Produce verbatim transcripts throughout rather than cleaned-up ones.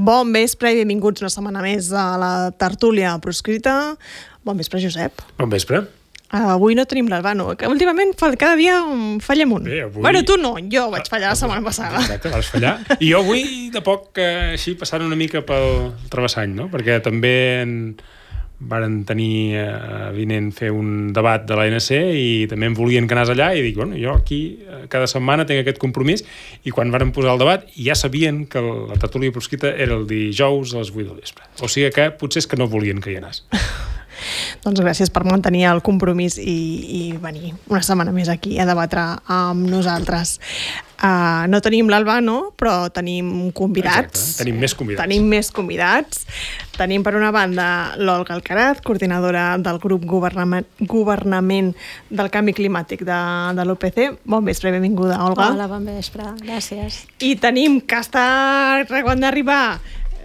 Bon vespre i benvinguts una setmana més a la tertúlia proscrita. Bon vespre, Josep. Bon vespre. Avui no tenim l'Albano, que últimament cada dia fallem un. Bé, avui... Bueno, tu no, jo vaig fallar la setmana passada. Exacte, vas fallar. I jo avui, de poc, eh, així, passant una mica pel travessany, no? Perquè també en... varen tenir eh, vinent fer un debat de l'A N C i també em volien que anés allà i dic, bueno, jo aquí eh, cada setmana tinc aquest compromís i quan varen posar el debat ja sabien que la tertúlia proscrita era el dijous a les vuit del vespre. O sigui que potser és que no volien que hi anés. Doncs gràcies per mantenir el compromís i, i venir una setmana més aquí a debatre amb nosaltres. Uh, no tenim l'Albano, però tenim convidats. Exacte, tenim més convidats. Tenim més convidats. Tenim per una banda l'Olga Alcaraz, coordinadora del grup Governament, Governament del Canvi Climàtic de, de l'U P C. Bon vespre, benvinguda, Olga. Hola, bon vespre, gràcies. I tenim que està quan d'arribar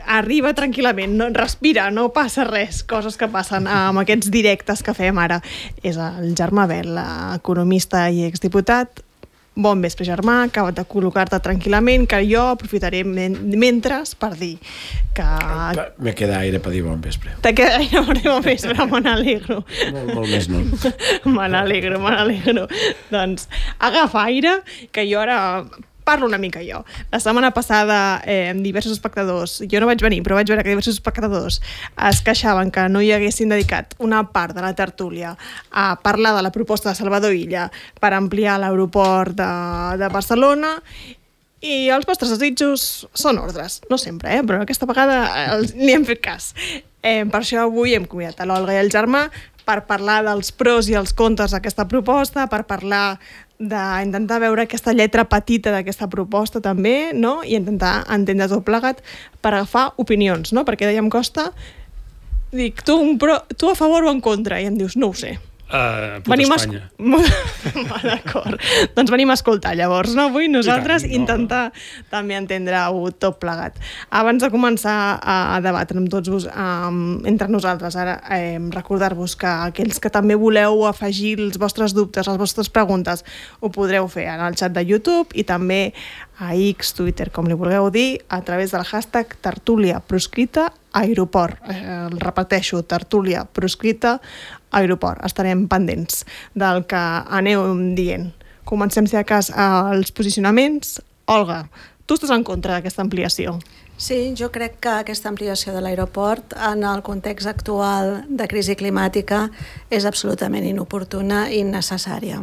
arriba tranquil·lament, no, respira, no passa res, coses que passen amb aquests directes que fem ara. És el Germà Bel, economista i exdiputat. Bon vespre, Germà, acabat de col·locar-te tranquil·lament, que jo aprofitaré men mentre per dir que... Me queda aire per dir bon vespre. Te queda aire per dir bon vespre, me n'alegro. Molt, molt més no. Me n'alegro, me n'alegro. Doncs agafa aire, que jo ara... parlo una mica jo. La setmana passada eh, diversos espectadors, jo no vaig venir, però vaig veure que diversos espectadors es queixaven que no hi haguessin dedicat una part de la tertúlia a parlar de la proposta de Salvador Illa per ampliar l'aeroport de, de Barcelona i els vostres desitjos són ordres. No sempre, eh? Però aquesta vegada els, ni hem fet cas. Eh, per això avui hem convidat a l'Olga i el Germà per parlar dels pros i els contres d'aquesta proposta, per parlar d'intentar veure aquesta lletra petita d'aquesta proposta també, no? I intentar entendre tot plegat per agafar opinions, no? Perquè dèiem Costa, dic, tu, un pro, tu a favor o en contra? I em dius, no ho sé. Uh, puta venim Espanya. A... D'acord. Doncs venim a escoltar llavors, no? Avui nosaltres tant, no. intentar també entendre-ho tot plegat. Abans de començar a debatre amb tots vos, um, entre nosaltres, ara eh, recordar-vos que aquells que també voleu afegir els vostres dubtes, les vostres preguntes, ho podreu fer en el xat de YouTube i també a X, Twitter, com li vulgueu dir, a través del hashtag tertúlia proscrita aeroport. Eh, el repeteixo, tertúlia proscrita aeroport. Estarem pendents del que aneu dient. Comencem, si de cas, els posicionaments. Olga, tu estàs en contra d'aquesta ampliació? Sí, jo crec que aquesta ampliació de l'aeroport en el context actual de crisi climàtica és absolutament inoportuna i innecessària.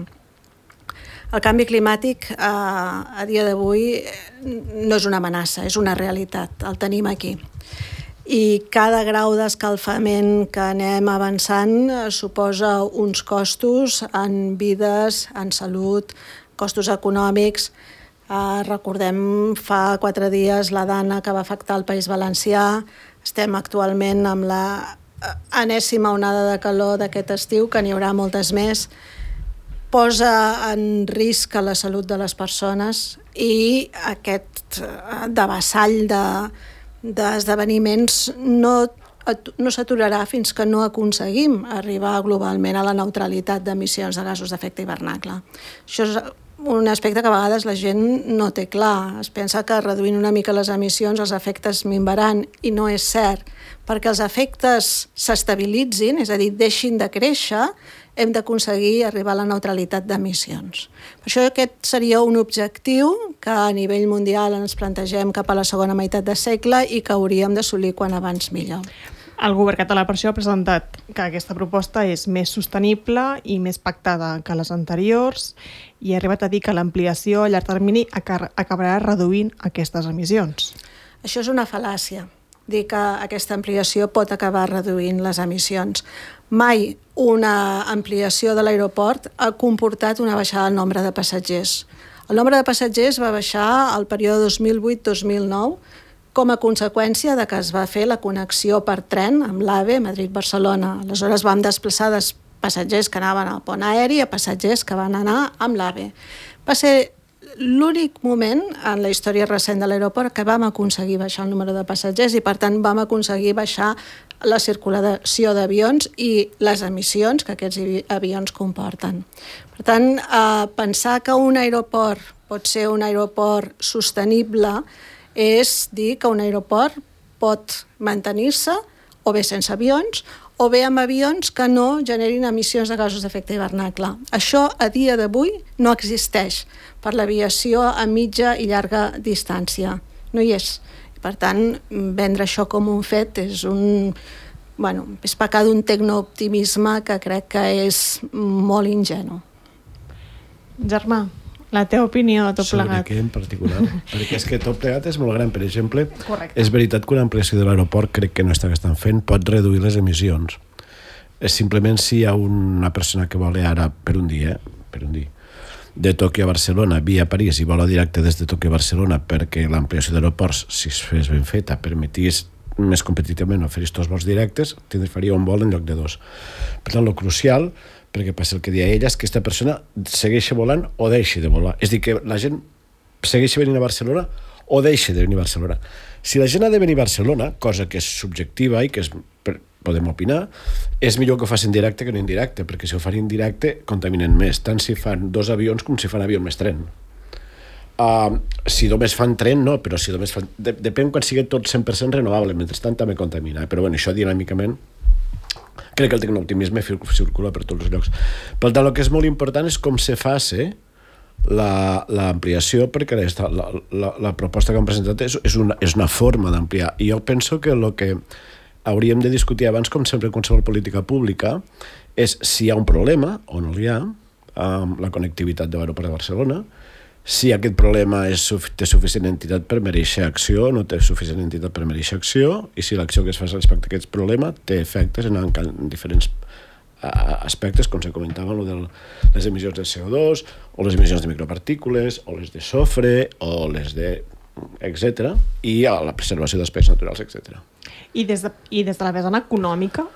El canvi climàtic eh, a dia d'avui no és una amenaça, és una realitat, el tenim aquí. I cada grau d'escalfament que anem avançant eh, suposa uns costos en vides, en salut, costos econòmics. Eh, recordem fa quatre dies la Dana que va afectar el País Valencià. Estem actualment amb la enèsima onada de calor d'aquest estiu, que n'hi haurà moltes més. Posa en risc a la salut de les persones i aquest devessall de, d'esdeveniments no, no s'aturarà fins que no aconseguim arribar globalment a la neutralitat d'emissions de gasos d'efecte hivernacle. Això és un aspecte que a vegades la gent no té clar. Es pensa que reduint una mica les emissions els efectes minvaran i no és cert. Perquè els efectes s'estabilitzin, és a dir, deixin de créixer, hem d'aconseguir arribar a la neutralitat d'emissions. Per això aquest seria un objectiu que a nivell mundial ens plantegem cap a la segona meitat de segle i que hauríem d'assolir quan abans millor. El govern català per això ha presentat que aquesta proposta és més sostenible i més pactada que les anteriors i ha arribat a dir que l'ampliació a llarg termini acabarà reduint aquestes emissions. Això és una fal·làcia, dir que aquesta ampliació pot acabar reduint les emissions. Mai una ampliació de l'aeroport ha comportat una baixada del nombre de passatgers. El nombre de passatgers va baixar al període dos mil vuit dos mil nou com a conseqüència de que es va fer la connexió per tren amb l'AVE Madrid-Barcelona. Aleshores vam desplaçar des, passatgers que anaven al pont aeri a passatgers que van anar amb l'AVE. Va ser l'únic moment en la història recent de l'aeroport que vam aconseguir baixar el número de passatgers i, per tant, vam aconseguir baixar la circulació d'avions i les emissions que aquests avions comporten. Per tant, eh, pensar que un aeroport pot ser un aeroport sostenible és dir que un aeroport pot mantenir-se o bé sense avions o bé amb avions que no generin emissions de gasos d'efecte hivernacle. Això, a dia d'avui, no existeix per l'aviació a mitja i llarga distància. No hi és. Per tant, vendre això com un fet és un... Bueno, és pecar d'un tecnooptimisme que crec que és molt ingenu. Germà, la teva opinió de tot sobre plegat. Sobre què en particular? Perquè és que tot plegat és molt gran. Per exemple, Correcte. És veritat que una ampliació de l'aeroport crec que no està que estan fent, pot reduir les emissions. És simplement si hi ha una persona que vol ara per un dia, per un dia, de Tòquio a Barcelona via París i vola directe des de Tòquio a Barcelona perquè l'ampliació d'aeroports, si es fes ben feta, permetís més competitivament oferir tots vols directes, faria un vol en lloc de dos. Per tant, el crucial, perquè passa el que deia ella, és que aquesta persona segueixi volant o deixi de volar. És a dir, que la gent segueixi venint a Barcelona o deixi de venir a Barcelona. Si la gent ha de venir a Barcelona, cosa que és subjectiva i que és, podem opinar, és millor que ho facin directe que no indirecte, perquè si ho fan indirecte contaminen més, tant si fan dos avions com si fan avió més tren. Uh, si només fan tren, no, però si només fan... De, depèn quan sigui tot cent per cent renovable, mentrestant també contamina, però bueno, això dinàmicament crec que el tecnooptimisme circula per tots els llocs. Per tant, el que és molt important és com se faci l'ampliació, perquè la, la, la, la proposta que han presentat és, és, una, és una forma d'ampliar, i jo penso que el que hauríem de discutir abans, com sempre en qualsevol política pública, és si hi ha un problema o no hi ha amb la connectivitat de l'aeroport de Barcelona, si aquest problema és, té suficient entitat per mereixer acció, no té suficient entitat per mereixer acció, i si l'acció que es fa respecte a aquest problema té efectes en, en diferents uh, aspectes, com se comentava, de les emissions de C O dos, o les emissions de micropartícules, o les de sofre, o les de... etcètera, i a la preservació d'espais naturals, etcètera. I des de, i des de la vessant econòmica,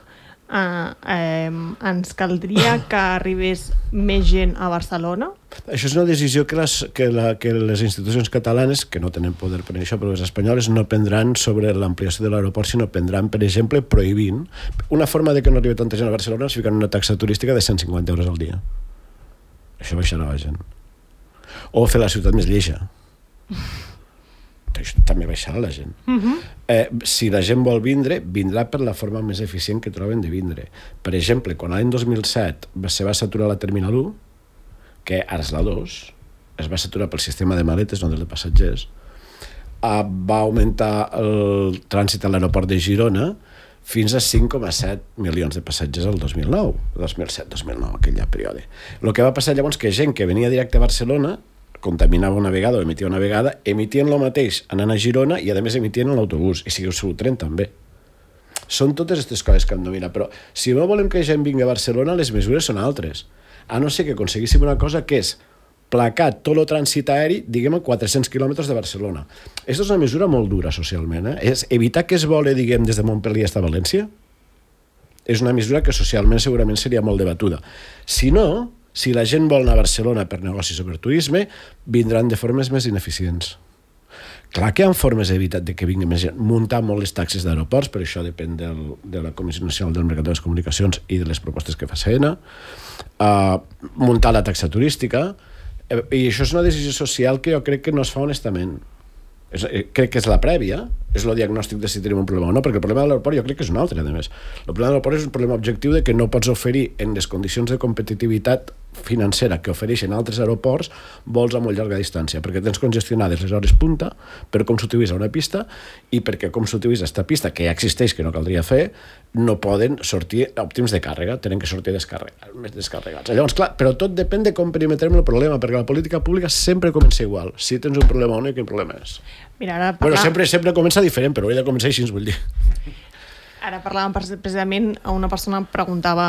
Uh, eh, ens caldria que arribés més gent a Barcelona? Això és una decisió que les, que, la, que les institucions catalanes, que no tenen poder per això, però les espanyoles no prendran sobre l'ampliació de l'aeroport, sinó prendran, per exemple, prohibint. Una forma de que no arribi tanta gent a Barcelona és ficant una taxa turística de cent cinquanta euros al dia. Això baixarà la gent. O fer la ciutat més lleixa. Això també baixarà la gent. Uh-huh. Eh, si la gent vol vindre, vindrà per la forma més eficient que troben de vindre. Per exemple, quan l'any dos mil set se va saturar la Terminal u, que ara és la dos, es va saturar pel sistema de maletes, no de passatgers, eh, va augmentar el trànsit a l'aeroport de Girona fins a cinc coma set milions de passatgers el dos mil nou, dos mil set dos mil nou, aquell període. El que va passar llavors que gent que venia directe a Barcelona contaminava una vegada o emitia una vegada, emitien el mateix anant a Girona i a més emitien l'autobús, i si el tren també. Són totes aquestes coses que hem de mirar, però si no volem que gent vingui a Barcelona, les mesures són altres. A no ser que aconseguíssim una cosa que és placar tot el trànsit aeri, diguem, a quatre-cents quilòmetres de Barcelona. Aquesta és una mesura molt dura socialment, eh? És evitar que es voli, diguem, des de Montpellier fins a València. És una mesura que socialment segurament seria molt debatuda. Si no, si la gent vol anar a Barcelona per negocis o per turisme, vindran de formes més ineficients. Clar que hi ha formes d'evitar que vingui més gent. Muntar molt les taxes d'aeroports, però això depèn del, de la Comissió Nacional del Mercat de les Comunicacions i de les propostes que fa S E N A. Uh, muntar la taxa turística. Uh, I això és una decisió social que jo crec que no es fa honestament. És, crec que és la prèvia, és el diagnòstic de si tenim un problema o no, perquè el problema de l'aeroport jo crec que és un altre, a més. El problema de l'aeroport és un problema objectiu de que no pots oferir en les condicions de competitivitat financera que ofereixen altres aeroports vols a molt llarga distància, perquè tens congestionades les hores punta per com s'utilitza una pista i perquè com s'utilitza aquesta pista, que ja existeix, que no caldria fer, no poden sortir òptims de càrrega, tenen que sortir descarregats, més descarregats. Llavors, clar, però tot depèn de com perimetrem el problema, perquè la política pública sempre comença igual. Si tens un problema únic, quin problema és? Mira, ara parla... Bueno, sempre, sempre comença diferent, però hauria de començar així, vull dir. Ara parlàvem precisament, una persona em preguntava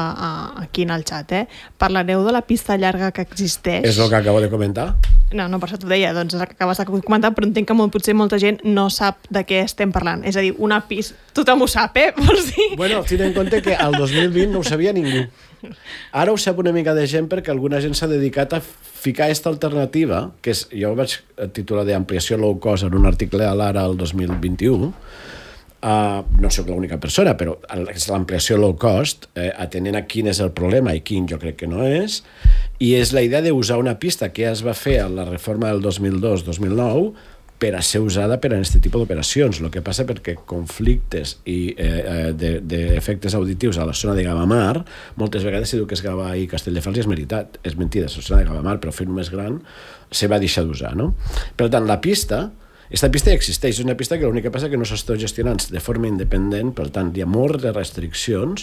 aquí en el xat, eh? Parlareu de la pista llarga que existeix? És el que acabo de comentar. No, no, per això t'ho deia, doncs és el que acabes de comentar, però entenc que molt, potser molta gent no sap de què estem parlant. És a dir, una pista... Tothom ho sap, eh? Vols dir? Bueno, ten en compte que al dos mil vint no ho sabia ningú. Ara ho sap una mica de gent perquè alguna gent s'ha dedicat a ficar aquesta alternativa, que és, jo vaig titular d'ampliació low cost en un article a l'Ara el dos mil vint-i-u. Uh, no soc l'única persona, però és l'ampliació low cost, eh, atenent a quin és el problema i quin jo crec que no és, i és la idea d'usar una pista que ja es va fer a la reforma del dos mil dos dos mil nou per a ser usada per a aquest tipus d'operacions. El que passa perquè conflictes i eh, d'efectes de, auditius a la zona de Gavamar, moltes vegades si diu que és Gavà i Castelldefels i és veritat, és mentida, és la zona de Gavamar, però fent-ho més gran se va deixar d'usar, no? Per tant, la pista Aquesta pista ja existeix, és una pista que l'únic que passa que no s'està gestionant de forma independent, per tant, hi ha moltes de restriccions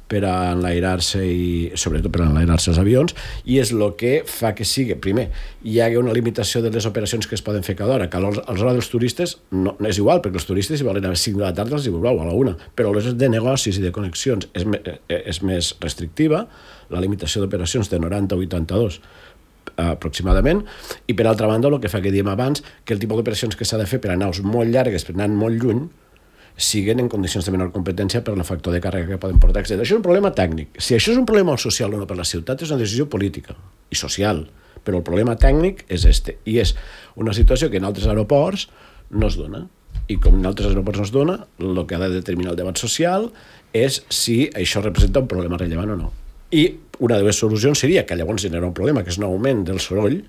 per a enlairar-se i, sobretot per a enlairar-se els avions, i és el que fa que sigui, primer, hi ha una limitació de les operacions que es poden fer cada hora, que a l'hora dels turistes no, no és igual, perquè els turistes si volen a les cinc de la tarda els hi veureu a la una, però a les de negocis i de connexions és, és més restrictiva, la limitació d'operacions de noranta a vuitanta-dos aproximadament, i per altra banda el que fa que diem abans, que el tipus d'operacions que s'ha de fer per a naus molt llargues, per anar molt lluny, siguen en condicions de menor competència per el factor de càrrega que poden portar, etcètera. Això és un problema tècnic. Si això és un problema social o no per la ciutat, és una decisió política i social, però el problema tècnic és este, i és una situació que en altres aeroports no es dona, i com en altres aeroports no es dona, el que ha de determinar el debat social és si això representa un problema rellevant o no. I una de les solucions seria que llavors genera un problema, que és un augment del soroll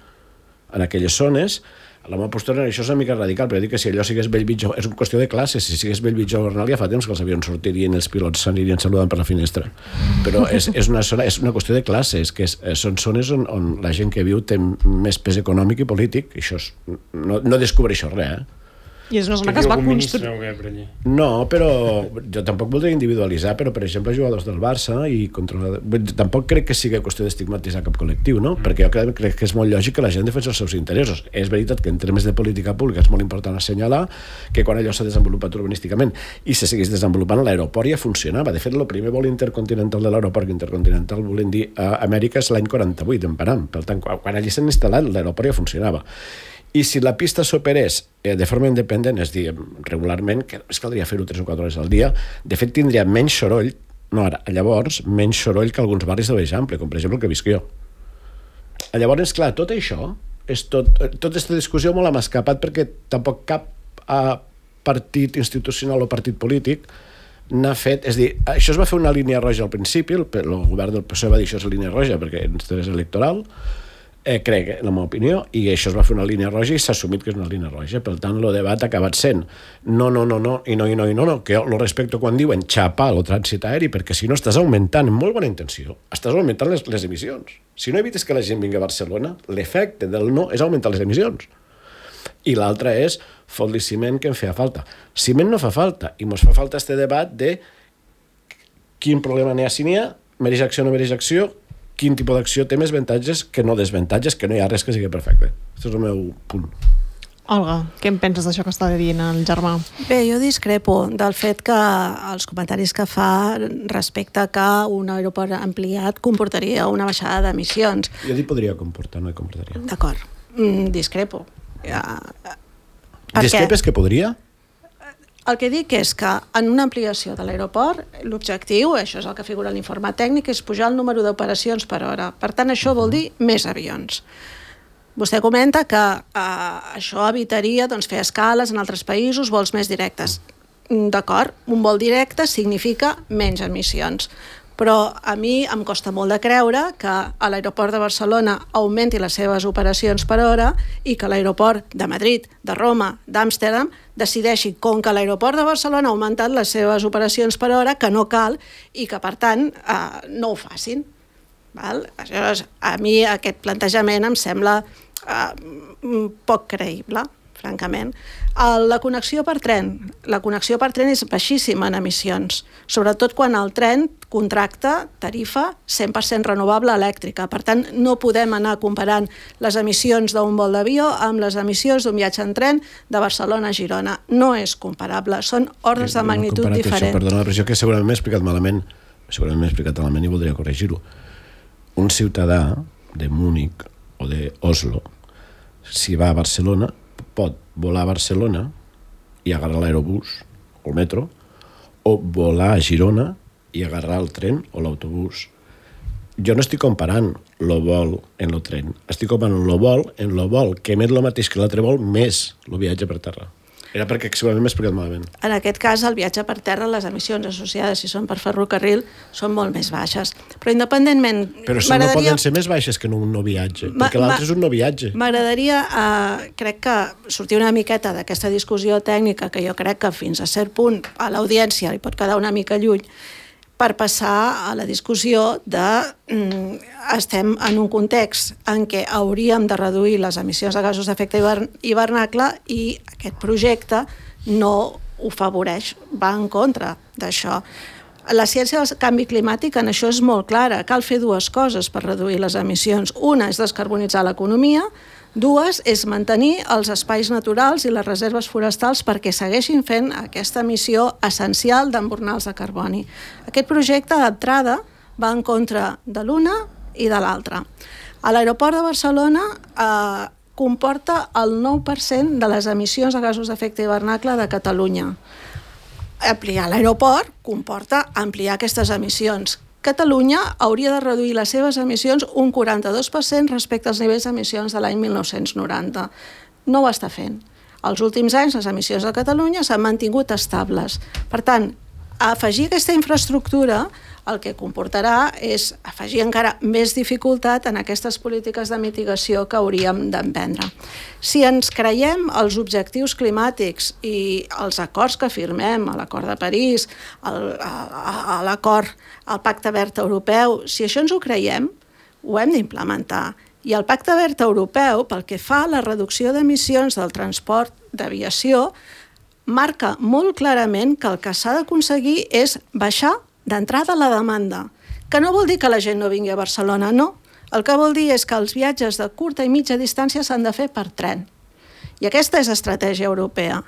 en aquelles zones. La meva postura en això és una mica radical, però dic que si allò sigués Bellvitge, és una qüestió de classes, si sigués Bellvitge o Bernal ja fa temps que els avions sortirien, els pilots s'anirien saludant per la finestra. Però és, és, una, zona, és una qüestió de classes, que és, són zones on, on la gent que viu té més pes econòmic i polític, i això és, no, no descobreixo res, eh? I és una zona que es va construir. No, però jo tampoc voldria individualitzar, però per exemple jugadors del Barça i controlar... Tampoc crec que sigui qüestió d'estigmatitzar cap col·lectiu, no? Mm. Perquè jo crec, crec que és molt lògic que la gent defensi els seus interessos. És veritat que en termes de política pública és molt important assenyalar que quan allò s'ha desenvolupat urbanísticament i se seguís desenvolupant, l'aeroport ja funcionava. De fet, el primer vol intercontinental de l'aeroport intercontinental, volem dir, a Amèrica és l'any quaranta-vuit, en Param. Per tant, quan allí s'han instal·lat, l'aeroport ja funcionava. I si la pista s'operés eh, de forma independent, és dir, regularment, que es caldria fer-ho tres o quatre hores al dia, de fet tindria menys soroll, no ara, llavors, menys soroll que alguns barris de l'Eixample, com per exemple el que visc jo. Llavors, clar, tot això, és tot, tota aquesta discussió molt m'ha escapat perquè tampoc cap eh, partit institucional o partit polític n'ha fet, és dir, això es va fer una línia roja al principi, el, el govern del P S O E va dir això és línia roja perquè és electoral, Eh, crec, en la meva opinió, i això es va fer una línia roja i s'ha assumit que és una línia roja. Per tant, el debat ha acabat sent no, no, no, no, i no, i no, i no, no, que jo lo respecto quan diuen xapar el trànsit aeri, perquè si no estàs augmentant, amb molt bona intenció, estàs augmentant les, les emissions. Si no evites que la gent vingui a Barcelona, l'efecte del no és augmentar les emissions. I l'altre és fot-li ciment que em feia falta. Ciment no fa falta, i mos fa falta este debat de quin problema n'hi ha si n'hi ha, mereix acció o no mereix acció, quin tipus d'acció té més avantatges que no desavantatges, que no hi ha res que sigui perfecte. Aquest és el meu punt. Olga, què en penses d'això que està dient el germà? Bé, jo discrepo del fet que els comentaris que fa respecte que un aeroport ampliat comportaria una baixada d'emissions. Jo dic podria comportar, no hi comportaria. D'acord, mm, discrepo. Ja, discrepes que podria? El que dic és que en una ampliació de l'aeroport, l'objectiu, això és el que figura en l'informe tècnic, és pujar el número d'operacions per hora. Per tant, això vol dir més avions. Vostè comenta que eh, això evitaria doncs, fer escales en altres països, vols més directes. D'acord, un vol directe significa menys emissions. Però a mi em costa molt de creure que a l'aeroport de Barcelona augmenti les seves operacions per hora i que l'aeroport de Madrid, de Roma, d'Amsterdam decideixi, com que l'aeroport de Barcelona ha augmentat les seves operacions per hora, que no cal i que, per tant, eh, no ho facin. Val? Aleshores, a mi aquest plantejament em sembla eh, poc creïble, francament. La connexió per tren. La connexió per tren és baixíssima en emissions, sobretot quan el tren contracta tarifa cent per cent renovable elèctrica. Per tant, no podem anar comparant les emissions d'un vol d'avió amb les emissions d'un viatge en tren de Barcelona a Girona. No és comparable, són ordres de magnitud diferents. Això, perdona, però jo que segurament m'he explicat malament, segurament m'he explicat malament i voldria corregir-ho. Un ciutadà de Múnich o d'Oslo, si va a Barcelona, pot volar a Barcelona i agarrar l'aerobús o el metro, o volar a Girona i agarrar el tren o l'autobús. Jo no estic comparant el vol en el tren, estic comparant el vol en el vol que emet el mateix que l'altre vol més el viatge per terra. Era perquè segurament m'he explicat malament. En aquest cas, el viatge per terra, les emissions associades, si són per ferrocarril, són molt més baixes. Però independentment... Però si no poden ser més baixes que en un no viatge, perquè l'altre és un no viatge. M'agradaria, eh, crec que sortir una miqueta d'aquesta discussió tècnica, que jo crec que fins a cert punt a l'audiència li pot quedar una mica lluny, per passar a la discussió de mm, estem en un context en què hauríem de reduir les emissions de gasos d'efecte hivernacle i aquest projecte no ho favoreix, va en contra d'això. La ciència del canvi climàtic en això és molt clara. Cal fer dues coses per reduir les emissions. Una és descarbonitzar l'economia, dues és mantenir els espais naturals i les reserves forestals perquè segueixin fent aquesta missió essencial d'embornals de carboni. Aquest projecte d'entrada va en contra de l'una i de l'altra. A l'aeroport de Barcelona eh, comporta el nou per cent de les emissions de gasos d'efecte hivernacle de Catalunya. Ampliar l'aeroport comporta ampliar aquestes emissions. Catalunya hauria de reduir les seves emissions un quaranta-dos per cent respecte als nivells d'emissions de l'any mil nou-cents noranta. No ho està fent. Els últims anys les emissions de Catalunya s'han mantingut estables. Per tant, afegir aquesta infraestructura el que comportarà és afegir encara més dificultat en aquestes polítiques de mitigació que hauríem d'emprendre. Si ens creiem els objectius climàtics i els acords que firmem, a l'acord de París, el, a, a l'acord, al Pacte Verd Europeu, si això ens ho creiem, ho hem d'implementar. I el Pacte Verd Europeu, pel que fa a la reducció d'emissions del transport d'aviació, marca molt clarament que el que s'ha d'aconseguir és baixar d'entrada la demanda, que no vol dir que la gent no vingui a Barcelona, no. El que vol dir és que els viatges de curta i mitja distància s'han de fer per tren. I aquesta és estratègia europea.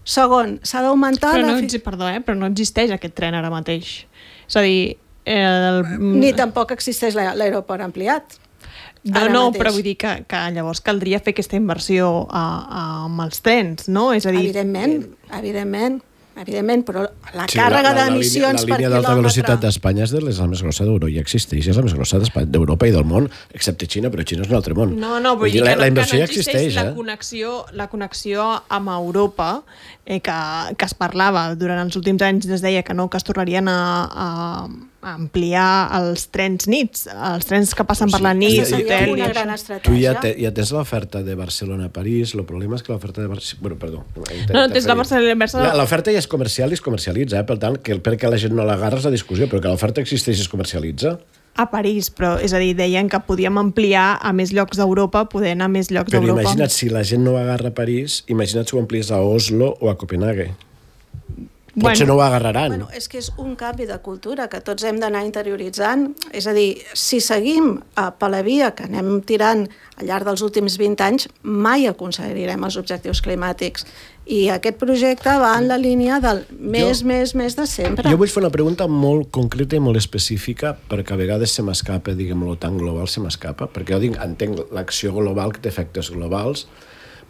Segon, s'ha d'augmentar... Però no, la... perdó, eh? però no existeix aquest tren ara mateix. És a dir... El... Ni tampoc existeix l'aeroport ampliat. No, no, però vull dir que, que llavors caldria fer aquesta inversió a, a, amb els trens, no? És a dir... Evidentment, evidentment. Evidentment, però la sí, càrrega d'emissions per quilòmetre... La línia d'alta velocitat d'Espanya és de la més grossa d'Europa, ja existeix, és la més grossa d'Europa i del món, excepte Xina, però Xina és un altre món. No, no, vull dir, dir la, que, no, la inversió que no ja existeix, la eh? connexió, la connexió amb Europa, eh, que, que es parlava durant els últims anys, es deia que no, que es tornarien a, a, a ampliar els trens nits, els trens que passen sí, per la nit. Aquesta seria una gran estratègia. Tu ja, te, ja tens l'oferta de Barcelona-París, el problema és que l'oferta de Barcelona... Bueno, perdó. No, tens la Barcelona... L'oferta ja és comercial i es comercialitza, eh? Per tant, que perquè la gent no l'agarra és la discussió, però que l'oferta existeix i es comercialitza. A París, però és a dir, deien que podíem ampliar a més llocs d'Europa, poder anar a més llocs d'Europa. d'Europa. Però imagina't, si la gent no agarra a París, imagina't si ho amplies a Oslo o a Copenhague. Potser bueno, no ho agarraran. Bueno, és que és un canvi de cultura que tots hem d'anar interioritzant. És a dir, si seguim per la via que anem tirant al llarg dels últims vint anys, mai aconseguirem els objectius climàtics. I aquest projecte va en la línia del més, jo, més, més de sempre. Jo vull fer una pregunta molt concreta i molt específica, perquè a vegades se m'escapa, diguem-lo, tan global se m'escapa, perquè jo dic, entenc l'acció global que té efectes globals.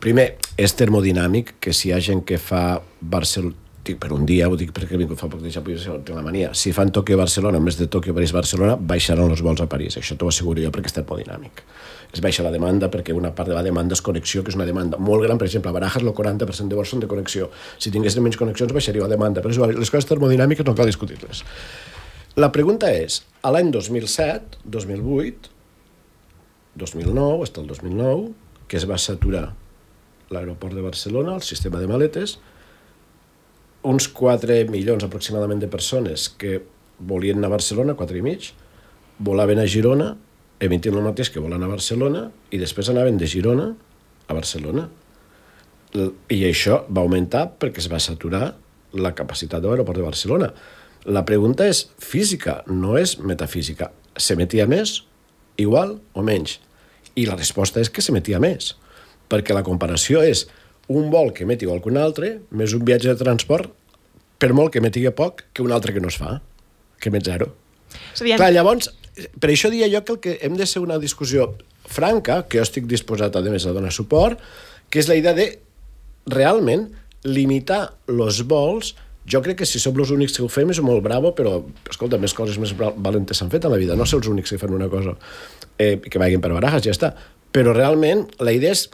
Primer, és termodinàmic, que si hi ha gent que fa Barcelona, dic per un dia, ho dic perquè vinc, fa poc de ja tinc la mania, si fan Tòquio-Barcelona en més de Tòquio-París-Barcelona, baixaran els vols a París, això t'ho asseguro jo perquè és termodinàmic. Es baixa la demanda perquè una part de la demanda és connexió, que és una demanda molt gran, per exemple, a Barajas el quaranta per cent de vols són de connexió, si tinguessin menys connexions baixaria la demanda, però les coses termodinàmiques no cal discutir-les. La pregunta és, a l'any dos mil set, dos mil vuit, dos mil nou, fins al dos mil nou, que es va saturar l'aeroport de Barcelona, el sistema de maletes, uns quatre milions aproximadament de persones que volien anar a Barcelona, quatre i mig, volaven a Girona, emitint el mateix que volen a Barcelona, i després anaven de Girona a Barcelona. I això va augmentar perquè es va saturar la capacitat de l'aeroport de Barcelona. La pregunta és física, no és metafísica. S'emetia més, igual o menys? I la resposta és que s'emetia més, perquè la comparació és un vol que emeti igual que un altre, més un viatge de transport, per molt que emeti poc, que un altre que no es fa, que emet zero. Sabien... Clar, llavors, per això dia jo que el que hem de ser una discussió franca, que jo estic disposat a més a donar suport, que és la idea de realment limitar els vols. Jo crec que si som els únics que ho fem és molt bravo, però, escolta, més coses més valentes s'han fet a la vida, no ser els únics que fan una cosa, eh, que vagin per barajas, ja està. Però realment la idea és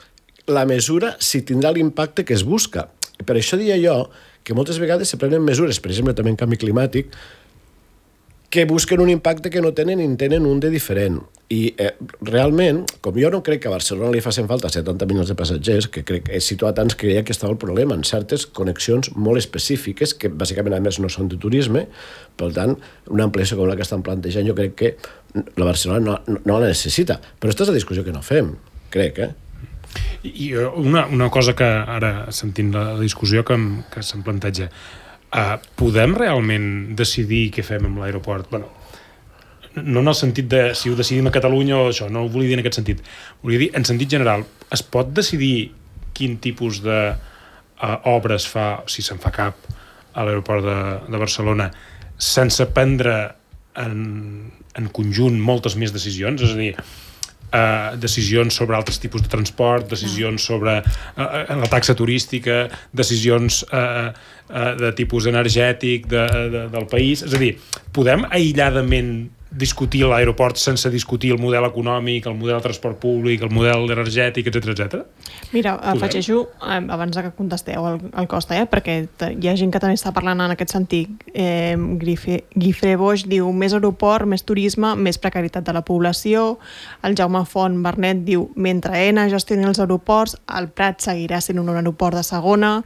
la mesura si tindrà l'impacte que es busca. Per això diria jo que moltes vegades se prenen mesures, per exemple, també en canvi climàtic, que busquen un impacte que no tenen i en tenen un de diferent. I eh, realment, com jo no crec que a Barcelona li facin falta setanta milions de passatgers, que crec que he situat tants que creia que estava el problema en certes connexions molt específiques, que bàsicament a més no són de turisme, per tant, una ampliació com la que estan plantejant jo crec que la Barcelona no, no, no la necessita. Però aquesta és la discussió que no fem, crec, eh? I una, una cosa que ara, sentint la discussió que, em, que se'm planteja, Uh, podem realment decidir què fem amb l'aeroport? Bueno, no en el sentit de si ho decidim a Catalunya o això, no ho volia dir en aquest sentit. Volia dir, en sentit general, es pot decidir quin tipus de uh, obres fa, si se'n fa cap, a l'aeroport de, de Barcelona, sense prendre en, en conjunt moltes més decisions? És a dir, Uh, decisions sobre altres tipus de transport, decisions sobre uh, la taxa turística, decisions uh, uh, de tipus energètic de, de, del país. És a dir, podem aïlladament discutir l'aeroport sense discutir el model econòmic, el model de transport públic, el model energètic, etcètera, etcètera? Mira, afegeixo, eh, abans que contesteu el, el Costa, eh, perquè hi ha gent que també està parlant en aquest sentit. Eh, Guifré Boix diu més aeroport, més turisme, més precarietat de la població. El Jaume Font Bernet diu mentre Aena gestioni els aeroports, el Prat seguirà sent un aeroport de segona.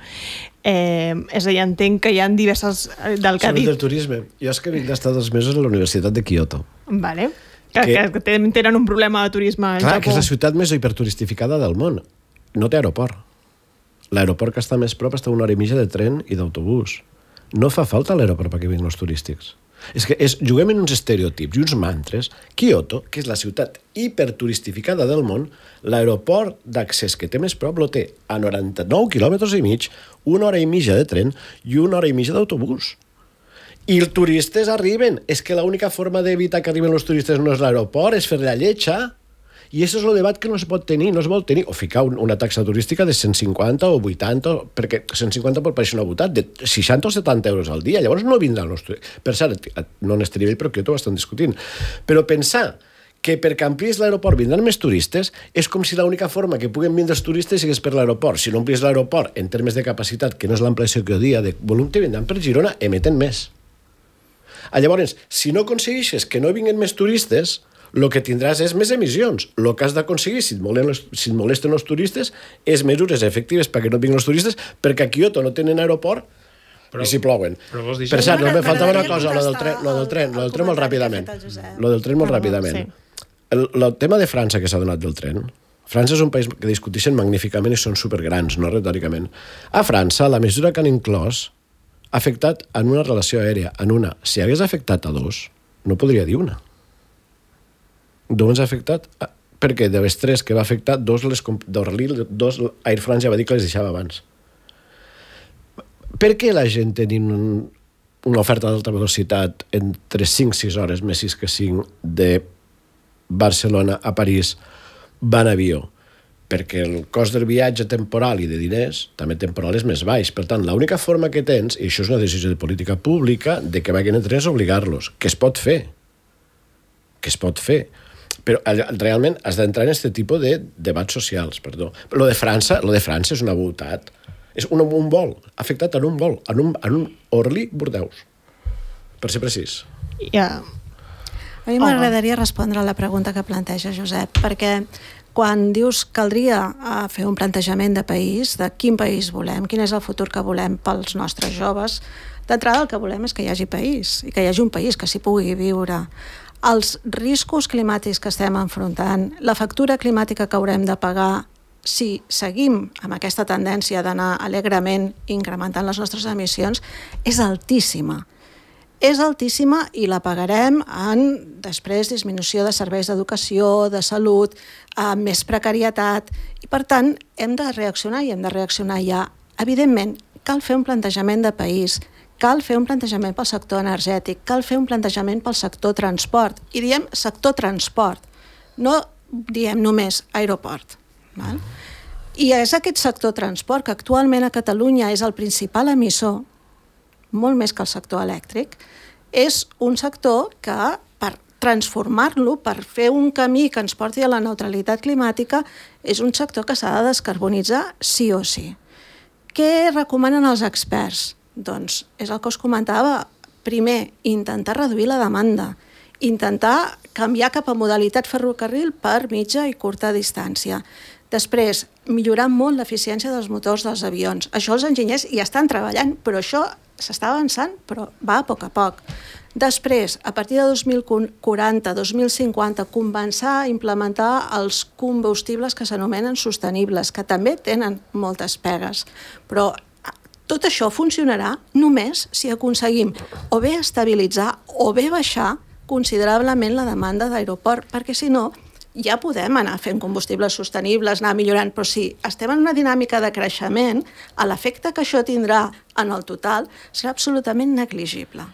Eh, és a dir, entenc que hi ha diverses del que ha dit. Del turisme. Jo és que vinc d'estar dos mesos a la Universitat de Kyoto. Vale. Que, que, que tenen un problema de turisme al Clar, Japó. que és la ciutat més hiperturistificada del món. No té aeroport. L'aeroport que està més prop està a una hora i mitja de tren i d'autobús. No fa falta l'aeroport perquè vinguin els turístics. És que és, juguem en uns estereotips i uns mantres. Kyoto, que és la ciutat hiperturistificada del món, l'aeroport d'accés que té més prop lo té a noranta-nou quilòmetres i mig, una hora i mitja de tren i una hora i mitja d'autobús. I els turistes arriben. És que l'única forma d'evitar que arriben els turistes no és l'aeroport, és fer la lletja. I això és el debat que no es pot tenir, no es vol tenir. O ficar una taxa turística de cent cinquanta o vuitanta, perquè cent cinquanta pot pareixer una botat, de seixanta o setanta euros al dia. Llavors no vindran els turistes. Per cert, no en este nivell, però que ho estan discutint. Però pensar que perquè amplies l'aeroport vindran més turistes és com si l'única forma que puguen vindre els turistes sigués per l'aeroport. Si no amplies l'aeroport en termes de capacitat, que no és l'ampliació que jo dia, de volum, te vindran per Girona, emeten més. Llavors, si no aconsegueixes que no vinguin més turistes, el que tindràs és més emissions. El que has d'aconseguir, si et molesten, si et molesten els turistes, és mesures efectives perquè no vinguin els turistes, perquè a Kyoto no tenen aeroport però, i s'hi plouen. Per cert, no me faltava una cosa, lo del tren, lo del tren, lo del tren molt ràpidament. Lo del tren molt ràpidament. El, el tema de França que s'ha donat del tren, França és un país que discuteixen magníficament i són supergrans, no retòricament. A França, la mesura que han inclòs ha afectat en una relació aèria, en una. Si hagués afectat a dos, no podria dir una. Doncs ha afectat, perquè de les tres que va afectar, dos, les, dos Air France ja va dir que les deixava abans. Per què la gent tenint un, una oferta d'alta velocitat entre cinc sis hores, més sis que cinc, de Barcelona a París, va en avió? Perquè el cost del viatge temporal i de diners, també temporal, és més baix. Per tant, l'única forma que tens, i això és una decisió de política pública, de que vagin en tren és obligar-los, que es pot fer. Que es pot fer. Però realment has d'entrar en aquest tipus de debats socials, perdó. Lo de França, lo de França és una voltat. És un, un vol, afectat en un vol, en un, en un Orly-Bordeus, per ser precís. Ja. A mi m'agradaria respondre a la pregunta que planteja Josep, perquè quan dius caldria fer un plantejament de país, de quin país volem, quin és el futur que volem pels nostres joves, d'entrada el que volem és que hi hagi país, i que hi hagi un país que s'hi pugui viure. Els riscos climàtics que estem enfrontant, la factura climàtica que haurem de pagar si seguim amb aquesta tendència d'anar alegrement incrementant les nostres emissions, és altíssima. És altíssima i la pagarem en, després, disminució de serveis d'educació, de salut, eh, més precarietat, i per tant hem de reaccionar i hem de reaccionar ja. Evidentment, cal fer un plantejament de país cal fer un plantejament pel sector energètic, cal fer un plantejament pel sector transport, i diem sector transport, no diem només aeroport. Val? I és aquest sector transport, que actualment a Catalunya és el principal emissor, molt més que el sector elèctric, és un sector que, per transformar-lo, per fer un camí que ens porti a la neutralitat climàtica, és un sector que s'ha de descarbonitzar sí o sí. Què recomanen els experts? Doncs és el que us comentava. Primer, intentar reduir la demanda, intentar canviar cap a modalitat ferrocarril per mitja i curta distància. Després, millorar molt l'eficiència dels motors dels avions. Això els enginyers hi estan treballant, però això s'està avançant, però va a poc a poc. Després, a partir de dos mil quaranta, dos mil cinquanta, començar a implementar els combustibles que s'anomenen sostenibles, que també tenen moltes pegues. Però tot això funcionarà només si aconseguim o bé estabilitzar o bé baixar considerablement la demanda d'aeroport, perquè si no ja podem anar fent combustibles sostenibles, anar millorant, però si estem en una dinàmica de creixement, l'efecte que això tindrà en el total serà absolutament negligible.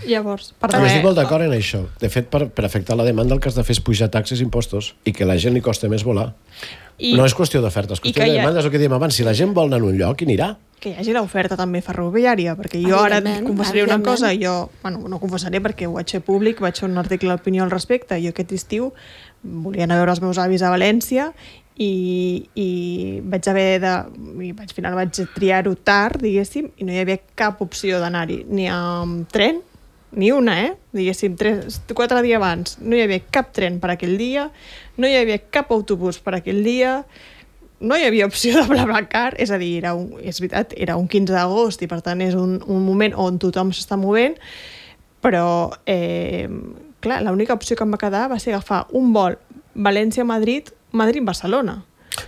Llavors, per Però estic molt d'acord en això. De fet, per, per afectar la demanda el que has de fer és pujar taxes i impostos i que la gent li costa més volar. I, no és qüestió d'oferta, és qüestió de demanda, és el que diem abans. Si la gent vol anar a un lloc, hi anirà. Que hi hagi l'oferta també ferroviària, perquè jo ara et confessaré una cosa, jo, bueno, no confessaré perquè ho vaig fer públic, vaig fer un article d'opinió al respecte, jo aquest estiu volia anar a veure els meus avis a València i, i vaig haver de... I al final vaig triar-ho tard, diguéssim, i no hi havia cap opció d'anar-hi, ni amb tren, ni una, eh? Diguéssim, tres, quatre dies abans. No hi havia cap tren per aquell dia, no hi havia cap autobús per aquell dia, no hi havia opció de BlaBlaCar, és a dir, era un, és veritat, era un quinze d'agost i per tant és un, un moment on tothom s'està movent, però eh, clar, l'única opció que em va quedar va ser agafar un vol València-Madrid, Madrid-Barcelona.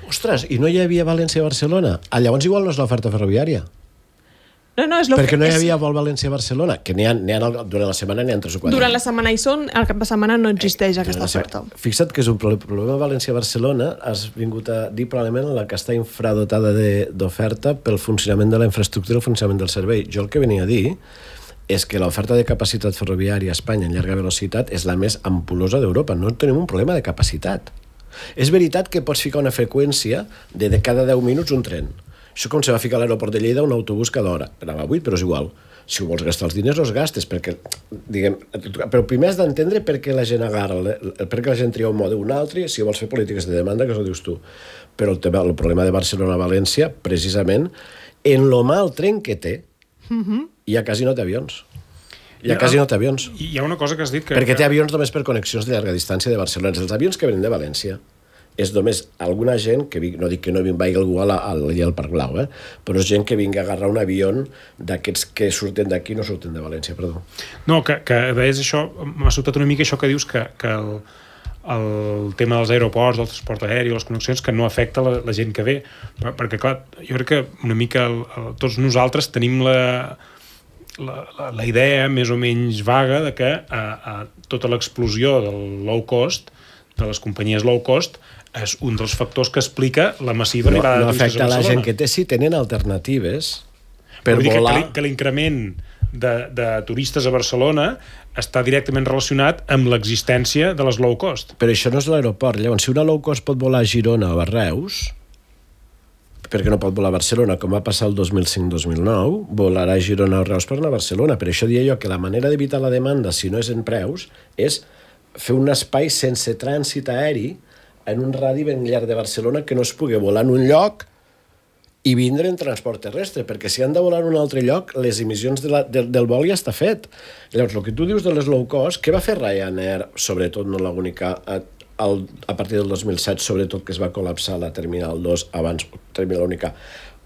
Ostres, i no hi havia València-Barcelona? Ah, llavors igual no és l'oferta ferroviària. No, no, és Perquè no hi és... havia vol València-Barcelona, que n'hi ha, n'hi ha, durant la setmana n'hi ha tres o quatre. Durant la setmana hi són, al cap de setmana no existeix eh, aquesta oferta. Fixa't que és un problema València-Barcelona, has vingut a dir probablement la que està infradotada d'oferta pel funcionament de la infraestructura i el funcionament del servei. Jo el que venia a dir és que l'oferta de capacitat ferroviària a Espanya en llarga velocitat és la més ampulosa d'Europa. No tenim un problema de capacitat. És veritat que pots ficar una freqüència de, de cada deu minuts un tren. Això com se va ficar a l'aeroport de Lleida un autobús cada hora. Anava a vuit, però és igual. Si ho vols gastar els diners, els gastes, perquè, diguem, però primer has d'entendre per què la gent agarra, per què la gent tria un mode o un altre, si vols fer polítiques de demanda, que això ho dius tu. Però el, tema, el problema de Barcelona-València, precisament, en lo mal tren que té, uh-huh. hi ha quasi no té avions. Hi ha quasi no té avions. Hi ha una cosa que has dit que... Perquè té avions només per connexions de llarga distància de Barcelona. Els avions que venen de València és només alguna gent que, no dic que no vagi algú al, al, al Parc Blau, eh? Però és gent que vingui a agarrar un avió d'aquests que surten d'aquí no surten de València, perdó. No, que, que deies això, m'ha sobtat una mica això que dius que, que el, el tema dels aeroports, del transport aeri, les connexions, que no afecta la, la gent que ve, perquè clar, jo crec que una mica el, el, tots nosaltres tenim la, la, la, la idea més o menys vaga de que a, a tota l'explosió del low cost, de les companyies low cost, és un dels factors que explica la massiva no, arribada no de turistes a Barcelona. No afecta la gent que té, si tenen alternatives per Vull dir volar... Que, que l'increment de, de turistes a Barcelona està directament relacionat amb l'existència de les low cost. Però això no és l'aeroport. Llavors, si una low cost pot volar a Girona o a Reus, perquè no pot volar a Barcelona, com va passar el dos mil cinc dos mil nou, volarà a Girona o a Reus per anar a Barcelona. Per això deia jo que la manera d'evitar la demanda, si no és en preus, és fer un espai sense trànsit aeri en un radi ben llarg de Barcelona que no es pugui volar en un lloc i vindre en transport terrestre, perquè si han de volar en un altre lloc, les emissions de la, de, del vol ja està fet. Llavors, el que tu dius de les low cost, què va fer Ryanair, sobretot no l'única, a, a partir del dos mil set, sobretot que es va col·lapsar la Terminal dos, abans Terminal única,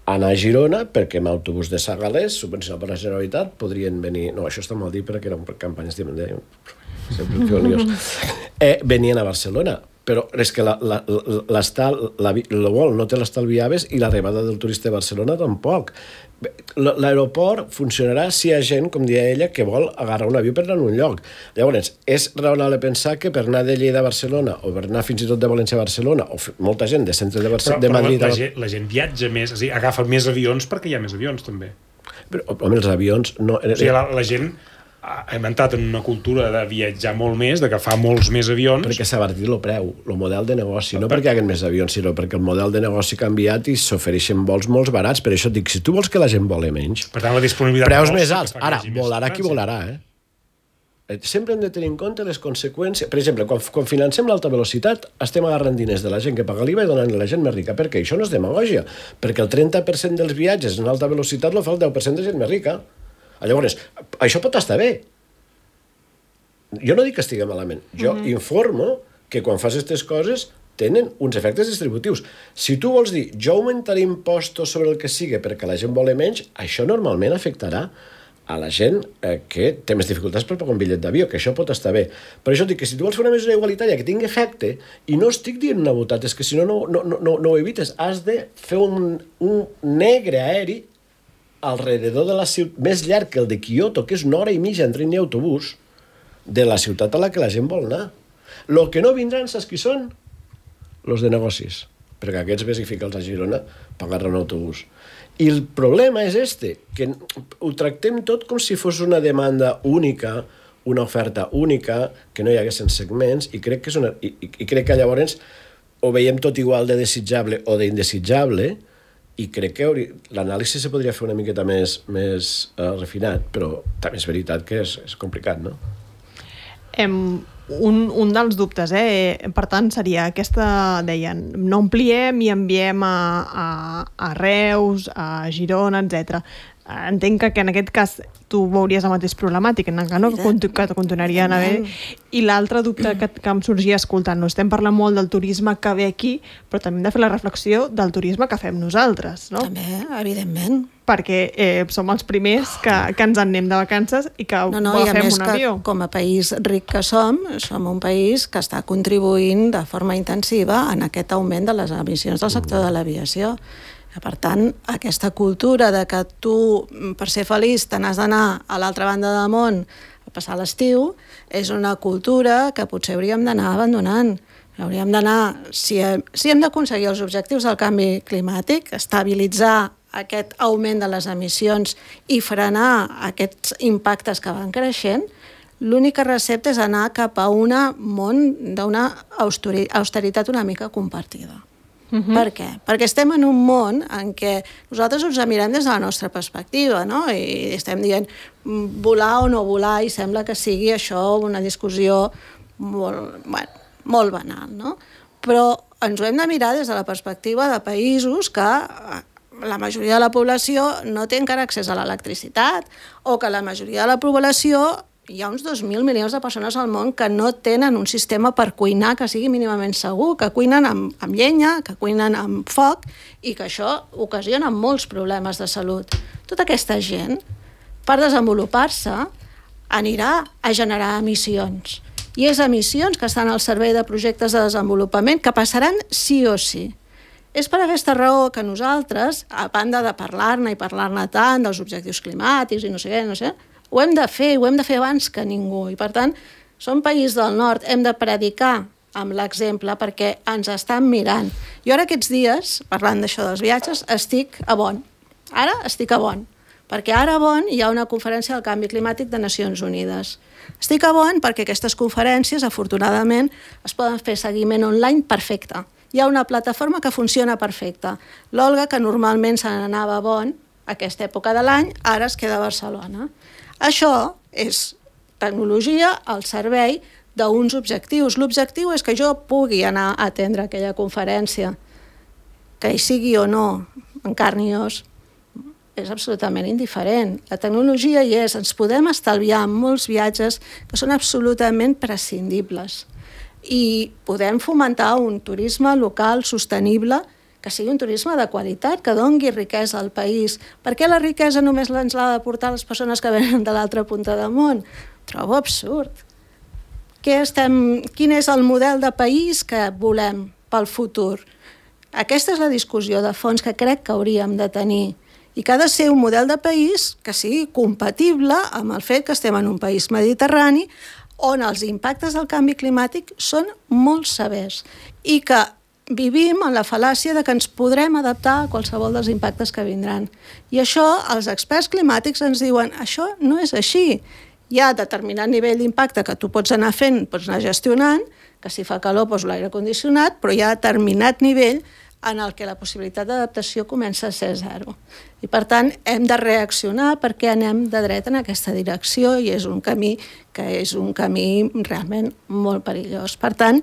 anar a Girona, perquè amb autobús de Sagalés, subvencionat per la Generalitat, podrien venir... No, això està mal dit perquè eren campanyes de... sempre feu lios. Eh, venien a Barcelona, però és que el vol no té l'estalviaves i l'arribada del turista de Barcelona tampoc. L'aeroport funcionarà si hi ha gent, com deia ella, que vol agarrar un avió per anar a un lloc. Llavors, és raonable pensar que per anar de Lleida a Barcelona o per anar fins i tot de València a Barcelona o molta gent de centre de, Barcelona, però, de Madrid... Però la, la, gent, la gent viatja més, és a dir, agafa més avions perquè hi ha més avions, també. Però, home, els avions... No... O sigui, la, la gent hem entrat en una cultura de viatjar molt més, de que fa molts més avions... Perquè s'ha abatit el preu, el model de negoci, no perquè hi hagi més avions, sinó perquè el model de negoci ha canviat i s'ofereixen vols molt barats. Per això et dic, si tu vols que la gent voli menys... Per tant, la disponibilitat... Preus més alts. Ara, volarà qui volarà, eh? Sempre hem de tenir en compte les conseqüències. Per exemple, quan, quan financem l'alta velocitat, estem agarrant diners de la gent que paga l'I V A i donant a la gent més rica. Per què? Això no és demagògia, perquè el trenta per cent dels viatges en alta velocitat lo fa el deu per cent de gent més rica. Llavors, això pot estar bé. Jo no dic que estigui malament. Jo mm-hmm. informo que quan fas aquestes coses tenen uns efectes distributius. Si tu vols dir, jo augmentaré impostos sobre el que sigui perquè la gent vole menys, això normalment afectarà a la gent eh, que té més dificultats per pagar un bitllet d'avió, que això pot estar bé. Per això dic que si tu vols fer una mesura igualitària que tingui efecte, i no estic dient una botat, és que si no, no, no, no, no ho evites, has de fer un, un negre aeri alrededor de la ciutat, més llarg que el de Kyoto, que és una hora i mitja en tren i autobús, de la ciutat a la que la gent vol anar. Lo que no vindran, saps qui són? Los de negocis. Perquè aquests ves i fica'ls a Girona per agarrar un autobús. I el problema és este, que ho tractem tot com si fos una demanda única, una oferta única, que no hi haguessin segments, i crec que, és una, i, i crec que llavors ho veiem tot igual de desitjable o d'indesitjable, i crec que l'anàlisi se podria fer una miqueta més, més uh, refinat, però també és veritat que és, és complicat, no? Em... Un, un dels dubtes, eh? Per tant, seria aquesta, deien, no ampliem i enviem a, a, a Reus, a Girona, etcètera. Entenc que en aquest cas tu veuries la mateixa problemàtica, no? que, que continuarien a haver. I l'altre dubte que, que em sorgia escoltant-nos, estem parlant molt del turisme que ve aquí, però també hem de fer la reflexió del turisme que fem nosaltres, no? També, evidentment. Perquè eh, som els primers que, que ens en anem de vacances i que no, no, agafem i un avió. Que, com a país ric que som, som un país que està contribuint de forma intensiva en aquest augment de les emissions del sector de l'aviació. Per tant, aquesta cultura de que tu, per ser feliç, te n'has d'anar a l'altra banda del món a passar l'estiu, és una cultura que potser hauríem d'anar abandonant. Hauríem d'anar, si hem, si hem d'aconseguir els objectius del canvi climàtic, estabilitzar aquest augment de les emissions i frenar aquests impactes que van creixent, l'única recepta és anar cap a un món d'una austeritat una mica compartida. Uh-huh. Per què? Perquè estem en un món en què nosaltres ens mirem des de la nostra perspectiva, no? I estem dient volar o no volar, i sembla que sigui això una discussió molt, bueno, molt banal, no? Però ens ho hem de mirar des de la perspectiva de països que la majoria de la població no té encara accés a l'electricitat, o que la majoria de la població, hi ha uns dos mil milions de persones al món que no tenen un sistema per cuinar que sigui mínimament segur, que cuinen amb, amb llenya, que cuinen amb foc, i que això ocasiona molts problemes de salut. Tota aquesta gent, per desenvolupar-se, anirà a generar emissions. I és emissions que estan al servei de projectes de desenvolupament que passaran sí o sí. És per aquesta raó que nosaltres, a banda de parlar-ne i parlar-ne tant dels objectius climàtics i no sé què, no sé, ho hem de fer, ho hem de fer abans que ningú. I per tant, som país del nord, hem de predicar amb l'exemple perquè ens estan mirant. Jo ara aquests dies, parlant d'això dels viatges, estic a Bonn. Ara estic a Bonn, perquè ara a Bonn hi ha una conferència del canvi climàtic de Nacions Unides. Estic a Bonn perquè aquestes conferències, afortunadament, es poden fer seguiment online perfecte. Hi ha una plataforma que funciona perfecta. L'Olga, que normalment se n'anava a Bonn, a aquesta època de l'any, ara es queda a Barcelona. Això és tecnologia al servei d'uns objectius. L'objectiu és que jo pugui anar a atendre aquella conferència, que hi sigui o no, en carn i os, és absolutament indiferent. La tecnologia hi és, ens podem estalviar molts viatges que són absolutament prescindibles i podem fomentar un turisme local sostenible que sigui un turisme de qualitat, que dongui riquesa al país. Per què la riquesa només ens l'ha de portar les persones que venen de l'altra punta del món? Trobo absurd. Què estem, quin és el model de país que volem pel futur? Aquesta és la discussió de fons que crec que hauríem de tenir i que ha de ser un model de país que sigui compatible amb el fet que estem en un país mediterrani on els impactes del canvi climàtic són molt severs i que vivim en la fal·làcia de que ens podrem adaptar a qualsevol dels impactes que vindran. I això, els experts climàtics ens diuen, això no és així. Hi ha determinat nivell d'impacte que tu pots anar fent, pots anar gestionant, que si fa calor pots l'aire condicionat, però hi ha determinat nivell en el que la possibilitat d'adaptació comença a ser zero. I, per tant, hem de reaccionar perquè anem de dret en aquesta direcció i és un camí que és un camí realment molt perillós. Per tant,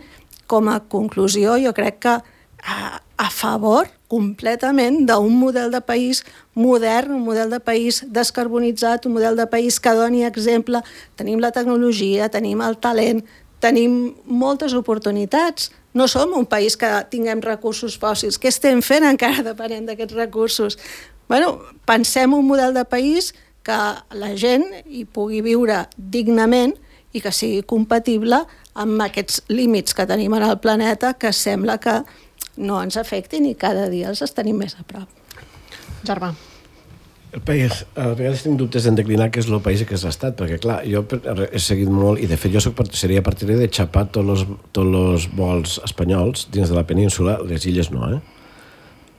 com a conclusió, jo crec que a, a favor completament d'un model de país modern, un model de país descarbonitzat, un model de país que doni exemple. Tenim la tecnologia, tenim el talent, tenim moltes oportunitats. No som un país que tinguem recursos fòssils. Què estem fent encara depenent d'aquests recursos? Bueno, pensem un model de país que la gent hi pugui viure dignament i que sigui compatible amb aquests límits que tenim en el planeta que sembla que no ens afectin i cada dia els tenim més a prop. Germà. El país, a vegades tinc dubtes en declinar què és el país i què és l'estat, perquè clar, jo he seguit molt, i de fet jo soc, seria partidari de xapar tots els, tots els vols espanyols dins de la península, les illes no, eh?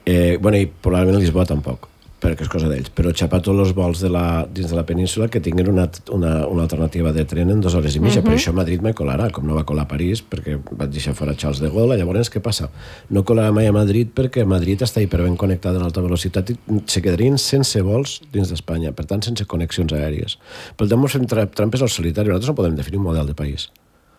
eh bueno, i probablement Lisboa tampoc, perquè és cosa d'ells, però xapar tots els vols de la, dins de la península que tinguin una, una, una alternativa de tren en dues hores i mitja. Uh-huh. Per això Madrid me colarà, com no va colar a París, perquè vaig deixar fora Charles de Gaulle. Llavors, què passa? No colarà mai a Madrid perquè Madrid està hiperben connectada a l'alta velocitat i se quedarien sense vols dins d'Espanya, per tant, sense connexions aèries. Per tant, ens fem trampes al solitari. Nosaltres no podem definir un model de país,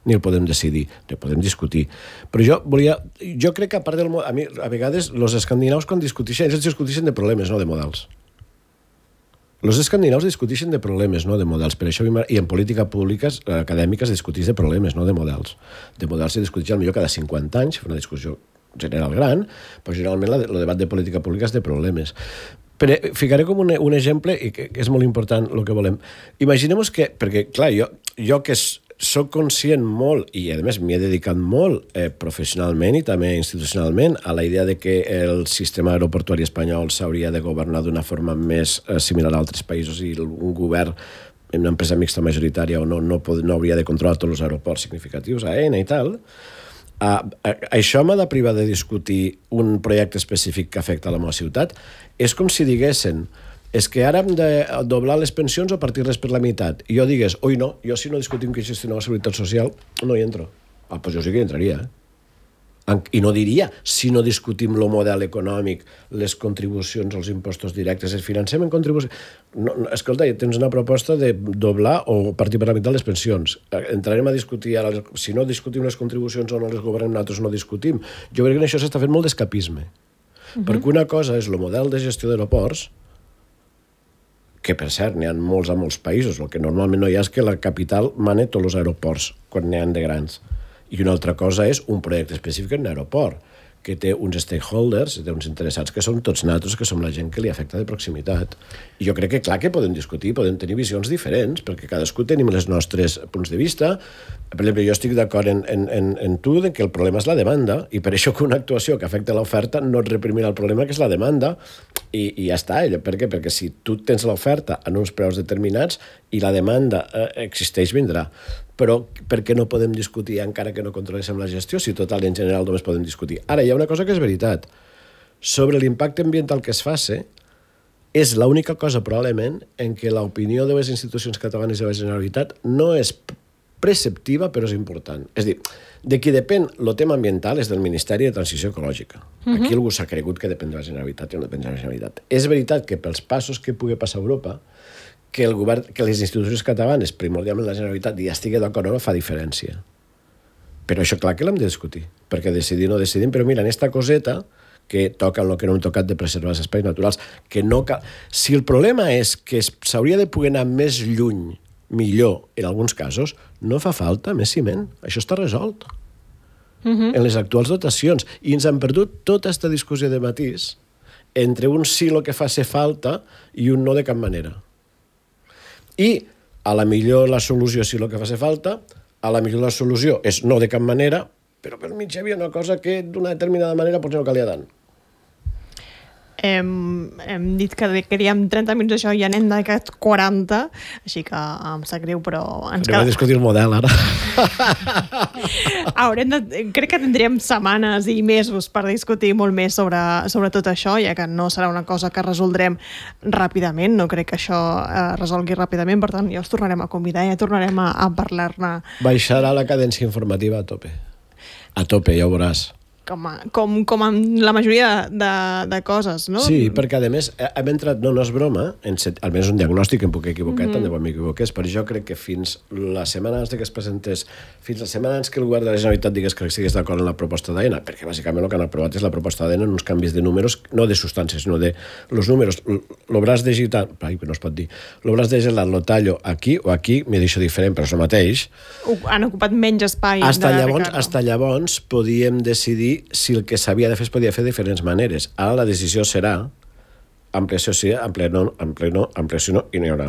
ni el podem decidir, ni el podem discutir. Però jo volia... Jo crec que a part del... A mi, a vegades, els escandinaus, quan discuteixen, ells discuteixen de problemes, no de models. Els escandinaus discuteixen de problemes, no de models. Per això, i en política pública acadèmica es discuteix de problemes, no de models. De models se discuteix potser cada cinquanta anys, una discussió general gran, però generalment el debat de política pública és de problemes. Però ficaré com un, un exemple, i que és molt important el que volem. Imaginem que, perquè, clar, jo, jo que és, soc conscient molt, i a més m'hi he dedicat molt eh, professionalment i també institucionalment a la idea de que el sistema aeroportuari espanyol s'hauria de governar d'una forma més eh, similar a altres països i un govern, una empresa mixta majoritària o no, no, pod, no hauria de controlar tots els aeroports significatius, A E N i tal. Uh, això m'ha de privar de discutir un projecte específic que afecta la meva ciutat. És com si diguessin és que ara hem de doblar les pensions o partir-les per la meitat. I jo digués, oi no, jo si no discutim qui gestiona la seguretat social, no hi entro. Ah, doncs jo sí que hi entraria, eh? I no diria, si no discutim el model econòmic, les contribucions, els impostos directes, es financem en contribucions... No, no, escolta, tens una proposta de doblar o partir per la meitat les pensions. Entrarem a discutir, ara, si no discutim les contribucions o no les governem, nosaltres no discutim. Jo crec que en això s'està fent molt d'escapisme. Uh-huh. Perquè una cosa és el model de gestió d'aeroports, que per cert n'hi ha molts a molts països, el que normalment no hi ha és que la capital mane tots els aeroports quan n'hi ha de grans. I una altra cosa és un projecte específic en un aeroport, que té uns stakeholders, té uns interessats que són tots nosaltres, que som la gent que li afecta de proximitat. I jo crec que clar que podem discutir, podem tenir visions diferents, perquè cadascú tenim els nostres punts de vista. Per exemple, jo estic d'acord en, en, en, en tu que el problema és la demanda, i per això que una actuació que afecta l'oferta no et reprimirà el problema, que és la demanda, i, i ja està. Per què? Perquè si tu tens l'oferta en uns preus determinats i la demanda eh, existeix, vindrà. Però per què no podem discutir encara que no controléssim la gestió, si total i en general només podem discutir? Ara, hi ha una cosa que és veritat. Sobre l'impacte ambiental que es faci, és l'única cosa probablement en què l'opinió de les institucions catalanes i de la Generalitat no és preceptiva, però és important. És a dir, de qui depèn el tema ambiental és del Ministeri de Transició Ecològica. Uh-huh. Aquí algú s'ha cregut que depèn de la Generalitat i no depèn de la Generalitat. És veritat que pels passos que pugui passar a Europa, que el govern, que les institucions catalanes, primordialment la Generalitat, ja estigui d'acord o no, fa diferència. Però això clar que l'hem de discutir, perquè decidir no decidim, però mira, en esta coseta que toca el que no hem tocat de preservar els espais naturals, que no cal... Si el problema és que s'hauria de poder anar més lluny, millor, en alguns casos, no fa falta més ciment. Això està resolt. Uh-huh. En les actuals dotacions. I ens han perdut tota aquesta discussió de matís entre un sí lo que fa ser falta i un no de cap manera. I a la millor la solució si el que fa ser falta, a la millor la solució és no de cap manera, però per mig hi havia una cosa que d'una determinada manera potser no calia tant. hem, hem dit que queríem trenta minuts d'això i ja n'hem dedicat quaranta, així que em sap greu, però ens Anem a discutir el model, ara. Haurem de, crec que tindríem setmanes i mesos per discutir molt més sobre, sobre tot això, ja que no serà una cosa que resoldrem ràpidament, no crec que això eh, resolgui ràpidament, per tant ja us tornarem a convidar i ja tornarem a, a parlar-ne. Baixarà la cadència informativa a tope. A tope, ja ho veuràs. Com, a, com, com amb la majoria de, de coses, no? Sí, perquè a més hem entrat, no, no és broma, en set, almenys un diagnòstic, em puc equivocar, mm-hmm. tant de bo m'equivoqués, però jo crec que fins la setmana abans que es presentés, fins la setmana abans que el govern de la Generalitat digués que estigués d'acord en la proposta d'Aena, perquè bàsicament el que han aprovat és la proposta d'Aena en uns canvis de números, no de substàncies, sinó de los números, el braç digital, ai, no es pot dir, el braç digital lo tallo aquí o aquí, m'he dit diferent, però és el mateix. Han ocupat menys espai. Hasta de llavors, Ricardo. hasta llavors podíem decidir si el que s'havia de fer es podia fer de diferents maneres. Ara la decisió serà ampliació sí, ampliació no, ampliació no, ampliació no, i no hi haurà,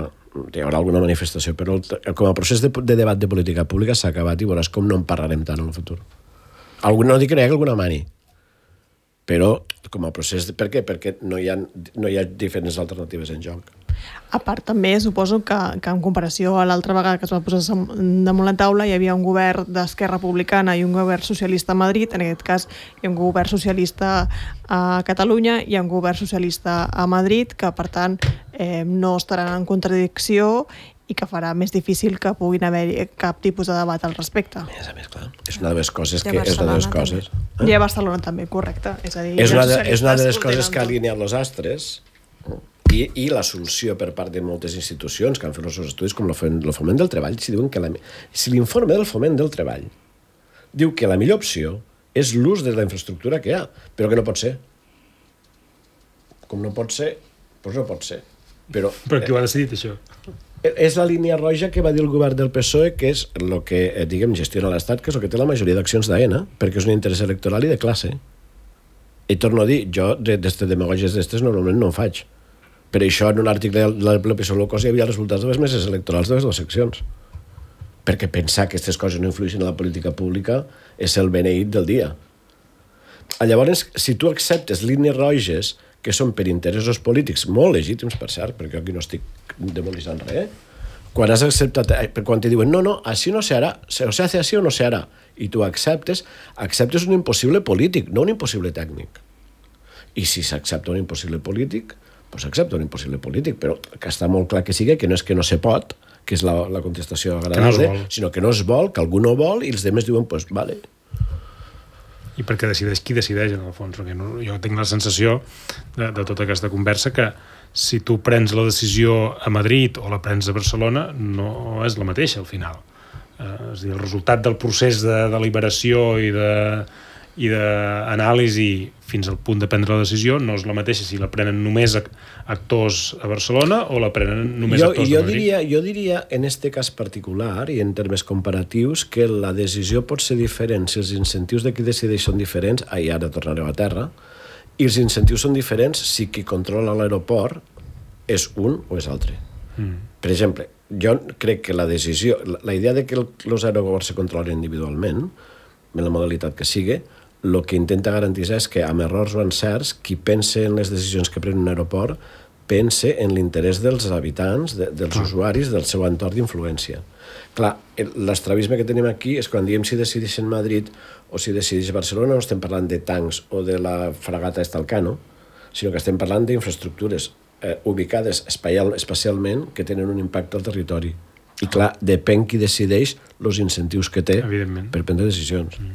hi haurà alguna manifestació, però el, com a procés de, de debat de política pública s'ha acabat i veuràs com no en parlarem tant en el futur. Algun, no dic que no hi hagi alguna mani, però com a procés... De, per què? Perquè no hi ha, no hi ha diferents alternatives en joc. A part, també suposo que, que en comparació a l'altra vegada que es va posar damunt la taula hi havia un govern d'Esquerra Republicana i un govern socialista a Madrid, en aquest cas hi ha un govern socialista a Catalunya i un govern socialista a Madrid, que per tant eh, no estaran en contradicció i que farà més difícil que puguin haver cap tipus de debat al respecte. A més a més, clar, és una de les coses I a que... És una de les Barcelona coses. Eh? I a Barcelona també, correcte. És a dir, És una els de, és una de les socialistes coses ho que ha tenen tot. alineat els astres i, i l'assumpció per part de moltes institucions que han fet els seus estudis, com el Foment del Treball, si diuen que la, si l'informe del Foment del Treball diu que la millor opció és l'ús de la infraestructura que hi ha, però que no pot ser. Com no pot ser, doncs no pot ser. Però, Però qui ho ha decidit, això? és la línia roja que va dir el govern del P S O E, que és el que, diguem, gestiona l'Estat, que és el que té la majoria d'accions d'Aena, perquè és un interès electoral i de classe. I torno a dir, jo d'aquestes demagògies d'estes normalment no en faig. Per això en un article del P S O E Low Cost hi havia resultats de les meses electorals de les dues seccions. Perquè pensar que aquestes coses no influeixen en la política pública és el beneït del dia. Llavors, si tu acceptes línies roges que són per interessos polítics molt legítims, per cert, perquè aquí no estic demolitzant res, quan has acceptat, quan te diuen no, no, així no se harà, o se hace así o no se harà, i tu acceptes, acceptes un impossible polític, no un impossible tècnic. I si s'accepta un impossible polític, doncs s'accepta un impossible polític, però que està molt clar que sigui que no és que no se pot, que és la, la contestació agradable, no sinó que no es vol, que algú no vol, i els demés diuen, doncs, pues, vale. I perquè decideix qui decideix, en el fons, perquè no, jo tinc la sensació de, de tota aquesta conversa que si tu prens la decisió a Madrid o la prens a Barcelona no és la mateixa al final. Eh, és a dir, el resultat del procés de deliberació i de i d'anàlisi fins al punt de prendre la decisió no és la mateixa si la prenen només actors a Barcelona o la prenen només jo, actors jo a Madrid. Diria, jo diria, en este cas particular i en termes comparatius, que la decisió pot ser diferent si els incentius de qui decideix són diferents, i ara tornareu a terra, i els incentius són diferents si qui controla l'aeroport és un o és altre. Mm. Per exemple, jo crec que la decisió, la, la idea de que els aeroports se controlen individualment, en la modalitat que sigui, el que intenta garantir és que, amb errors o encerts, qui pense en les decisions que pren un aeroport pense en l'interès dels habitants, de, dels ah. usuaris, del seu entorn d'influència. Clar, l'estrabisme que tenim aquí és quan diem si decideix en Madrid o si decideix Barcelona, no estem parlant de tancs o de la fragata Estalcano, sinó que estem parlant d'infraestructures eh, ubicades espaial, espacialment que tenen un impacte al territori. I clar, depèn qui decideix els incentius que té per prendre decisions. Mm.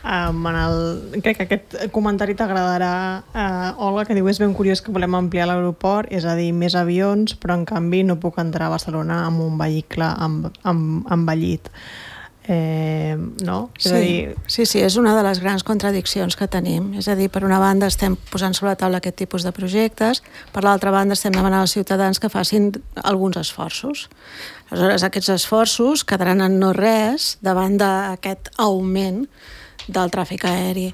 Um, en el, crec que aquest comentari t'agradarà, uh, Olga, que diu és ben curiós que volem ampliar l'aeroport, és a dir, més avions, però en canvi no puc entrar a Barcelona amb un vehicle amb, amb, envellit. Eh, no? És sí, a dir... sí, sí, és una de les grans contradiccions que tenim. És a dir, per una banda estem posant sobre la taula aquest tipus de projectes, per l'altra banda estem demanant als ciutadans que facin alguns esforços. Aleshores, aquests esforços quedaran en no res davant d'aquest augment del tràfic aeri.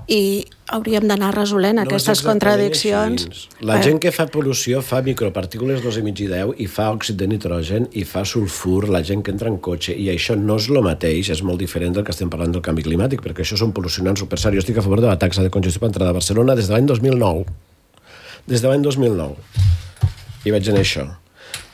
I hauríem d'anar resolent no aquestes contradiccions. La eh. gent que fa pol·lució fa micropartícules dos i mig i deu i fa òxid de nitrogen i fa sulfur, la gent que entra en cotxe, i això no és el mateix, és molt diferent del que estem parlant del canvi climàtic, perquè això són pol·lucionants super serios. Jo estic a favor de la taxa de congestió per entrada a Barcelona des de l'any dos mil nou. des de l'any dos mil nou. I vaig en això.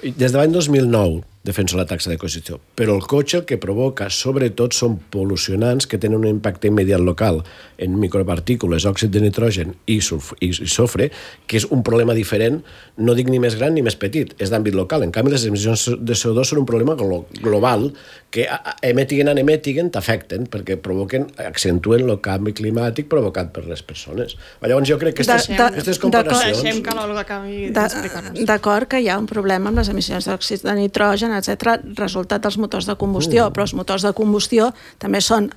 Des de l'any dos mil nou defenso la taxa de constitució, però el cotxe el que provoca sobretot són pol·lucionants que tenen un impacte immediat local en micropartícules, òxid de nitrogen i, sulf i sofre, que és un problema diferent, no dic ni més gran ni més petit, és d'àmbit local. En canvi, les emissions de C O dos són un problema glo global que emetiguen en emetiguen t'afecten perquè provoquen, accentuen el canvi climàtic provocat per les persones. Llavors jo crec que aquestes, aquestes comparacions... Deixem que l'Olga acabi d'explicar-nos. D'acord que hi ha un problema amb les emissions d'òxid de nitrogen, etcètera, resultat dels motors de combustió, mm. però els motors de combustió també són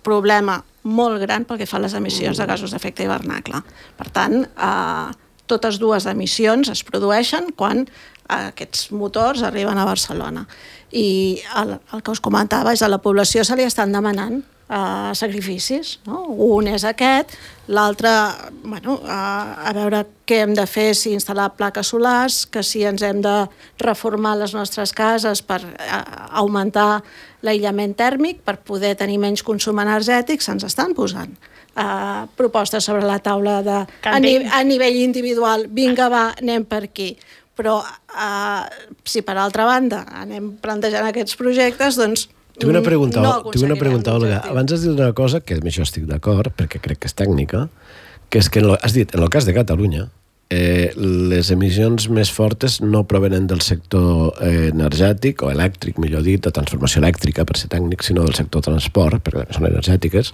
problema molt gran pel que fa a les emissions mm. de gasos d'efecte hivernacle. Per tant, eh, totes dues emissions es produeixen quan aquests motors arriben a Barcelona. I el, el que us comentava és que a la població se li estan demanant Uh, sacrificis, no? Un és aquest, l'altre, bueno, uh, a veure què hem de fer, si instal·lar plaques solars, que si ens hem de reformar les nostres cases per uh, augmentar l'aïllament tèrmic, per poder tenir menys consum energètic, se'ns estan posant uh, propostes sobre la taula de, a, ni, a nivell individual, vinga va, anem per aquí. Però uh, si per altra banda anem plantejant aquests projectes, doncs Tinc una pregunta, no tinc una pregunta Olga. Abans has dit una cosa, que amb això estic d'acord, perquè crec que és tècnica, que és que, en lo, has dit, en el cas de Catalunya, eh, les emissions més fortes no provenen del sector eh, energètic, o elèctric, millor dit, de transformació elèctrica, per ser tècnic, sinó del sector transport, perquè són energètiques.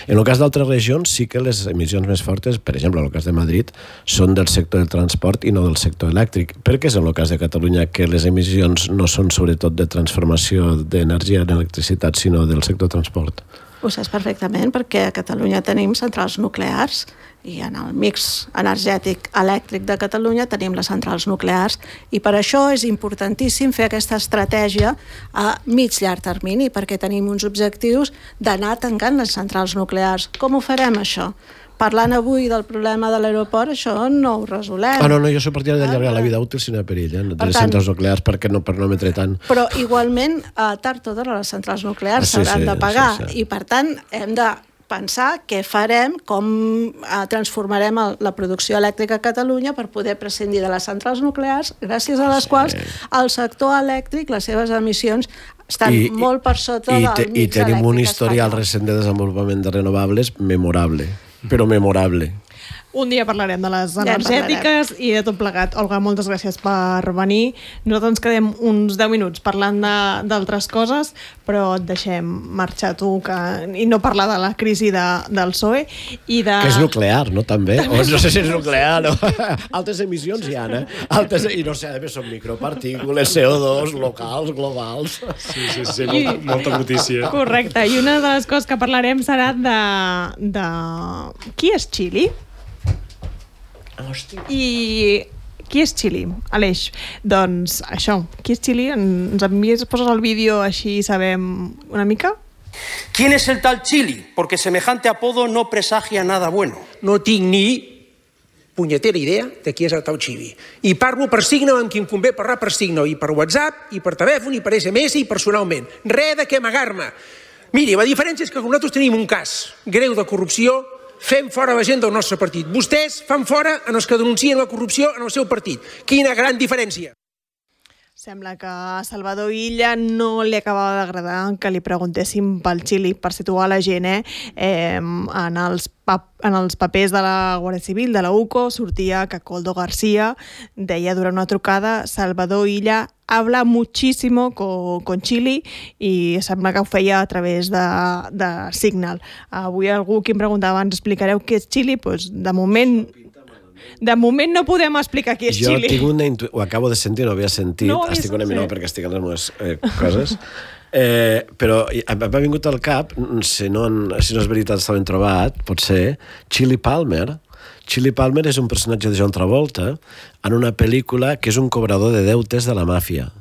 En el cas d'altres regions, sí que les emissions més fortes, per exemple, en el cas de Madrid, són del sector del transport i no del sector elèctric. Per què és en el cas de Catalunya que les emissions no són sobretot de transformació d'energia en electricitat, sinó del sector transport? Ho saps perfectament, perquè a Catalunya tenim centrals nuclears i en el mix energètic elèctric de Catalunya tenim les centrals nuclears i per això és importantíssim fer aquesta estratègia a mig-llarg termini, perquè tenim uns objectius d'anar tancant les centrals nuclears. Com ho farem, això? Parlant avui del problema de l'aeroport, això no ho resolem. Ah, no, no, jo soc partidari d'allargar la vida útil si no hi ha perill, eh? De les centrals nuclears, perquè no, per no emetre tant. Però igualment, a tard o d'hora, les centrals nuclears s'hauran ah, sí, sí, de pagar. Sí, sí. I, per tant, hem de pensar què farem, com eh, transformarem el, la producció elèctrica a Catalunya per poder prescindir de les centrals nuclears, gràcies a les sí. quals el sector elèctric, les seves emissions, estan I, molt per sota i, del te, mix elèctric espanyol. I tenim un historial recent de desenvolupament de renovables memorable. Però memorable. Un dia parlarem de les energètiques ja i de tot plegat. Olga, moltes gràcies per venir. Nosaltres ens quedem uns deu minuts parlant d'altres coses, però et deixem marxar tu que, i no parlar de la crisi de, del P S O E. I de... Que és nuclear, no? També? O no sé si és nuclear o... Altres emissions hi ha, eh? Altres... I no sé, són micropartícules, C O dos, locals, globals... Sí, sí, sí, molta, molta notícia. Correcte. I una de les coses que parlarem serà de... de... Qui és Chile? Hòstia. I qui és Chile, Aleix? Doncs això, qui és Chile? Ens envies, poses el vídeo així sabem una mica? ¿Quién es el tal Chile? Porque semejante apodo no presagia nada bueno. No tinc ni punyetera idea de qui és el tal Chile. I parlo per signe amb qui em convé parlar per signe, i per WhatsApp, i per telèfon, i per S M S, i personalment. Res de què amagar-me. Miri, la diferència és que nosaltres tenim un cas greu de corrupció. Fem fora la gent del nostre partit. Vostès fan fora en els que denuncien la corrupció en el seu partit. Quina gran diferència. Sembla que a Salvador Illa no li acabava d'agradar que li preguntéssim pel Xili, per situar la gent, eh? eh en, els en els papers de la Guàrdia Civil, de la U C O, sortia que Coldo García deia durant una trucada Salvador Illa habla muchísimo con, con Chile i sembla que ho feia a través de, de Signal. Avui algú que em preguntava, ens explicareu què és Chile? Pues, de moment... De moment no podem explicar qui és jo Chile. Jo tinc una intu... ho acabo de sentir, no havia sentit, no estic una mica perquè estic en les meves eh, coses, eh, però m'ha vingut al cap, si no, si no és veritat està ben trobat, pot ser, Chili Palmer. Chili Palmer és un personatge de John Travolta en una pel·lícula que és un cobrador de deutes de la màfia.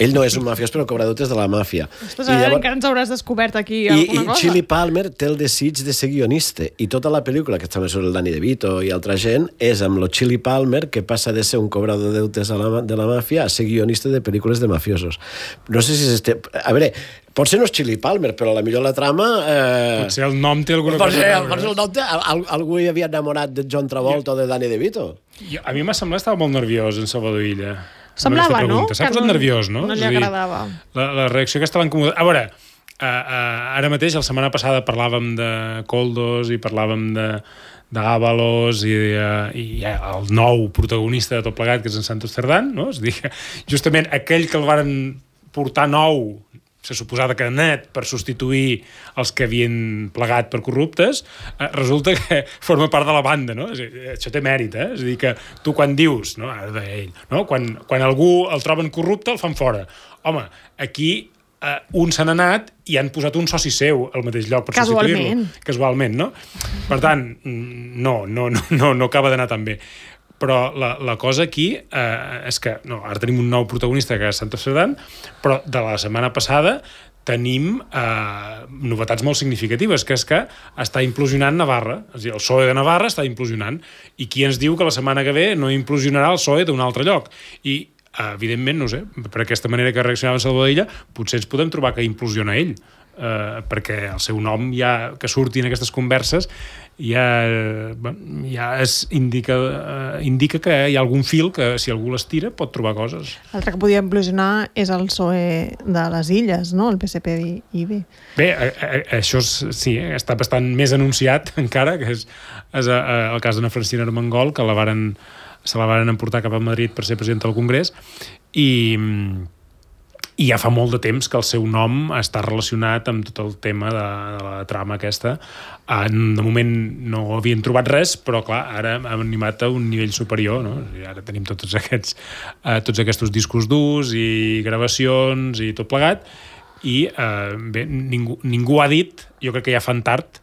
Ell no és un mafiós, però cobra deutes de la màfia. Ostres, ara llavors... encara ens hauràs descobert aquí I, alguna i cosa. Chili Palmer té el desig de ser guionista. I tota la pel·lícula, que també surt el Danny DeVito i altra gent, és amb lo Chili Palmer, que passa de ser un cobrador de deutes a la, de la màfia a ser guionista de pel·lícules de mafiosos. No sé si... Este... A veure, potser no és Chili Palmer, però a la millor la trama... Eh... Potser el nom té alguna potser, cosa. Potser el nom té... Al, algú hi havia enamorat de John Travolta o de Danny DeVito. Jo, a mi m'ha semblat que estava molt nerviós en Salvador Illa. Semblava, no? S'ha posat nerviós, no? No li És a dir, agradava. La, la reacció aquesta l'ha incomodat. A veure, uh, uh, ara mateix, la setmana passada parlàvem de Koldos i parlàvem de d'Ábalos i, uh, i el nou protagonista de tot plegat, que és en Santos Cerdán, no? És a dir, justament aquell que el varen portar nou, se suposava que net per substituir els que havien plegat per corruptes, eh, resulta que forma part de la banda, no? És a dir, això té mèrit, eh? És a dir, que tu quan dius, no? Ara deia ell, no? Quan, quan algú el troben corrupte, el fan fora. Home, aquí eh, un se n'ha anat i han posat un soci seu al mateix lloc per substituir-lo. Casualment, no? Per tant, no, no, no, no, no acaba d'anar tan bé. Però la, la cosa aquí eh, és que no, ara tenim un nou protagonista que és Santos Cerdán, però de la setmana passada tenim eh, novetats molt significatives, que és que està implosionant Navarra. És a dir, el P S O E de Navarra està implosionant. I qui ens diu que la setmana que ve no implosionarà el P S O E d'un altre lloc? I, eh, evidentment, no sé, per aquesta manera que reaccionava Salvador Illa, potser ens podem trobar que implosiona ell, eh, perquè el seu nom ja, que surti en aquestes converses, ja, ja es indica, eh, indica que hi ha algun fil que, si algú l'estira, pot trobar coses. L'altre que podia implosionar és el P S O E de les Illes, no? El P S P I B. Bé, a, a, això és, sí, està bastant més anunciat encara, que és, és a, a, el cas d'Anna Francina Armengol, que la varen, se la varen emportar cap a Madrid per ser presidenta del Congrés, i... i ja fa molt de temps que el seu nom està relacionat amb tot el tema de, de la trama aquesta. De moment no havien trobat res, però clar, ara hem animat a un nivell superior, no? I ara tenim tots aquests, eh, tots aquests discos durs i gravacions i tot plegat, i eh, bé, ningú, ningú ha dit, jo crec que ja fan tard,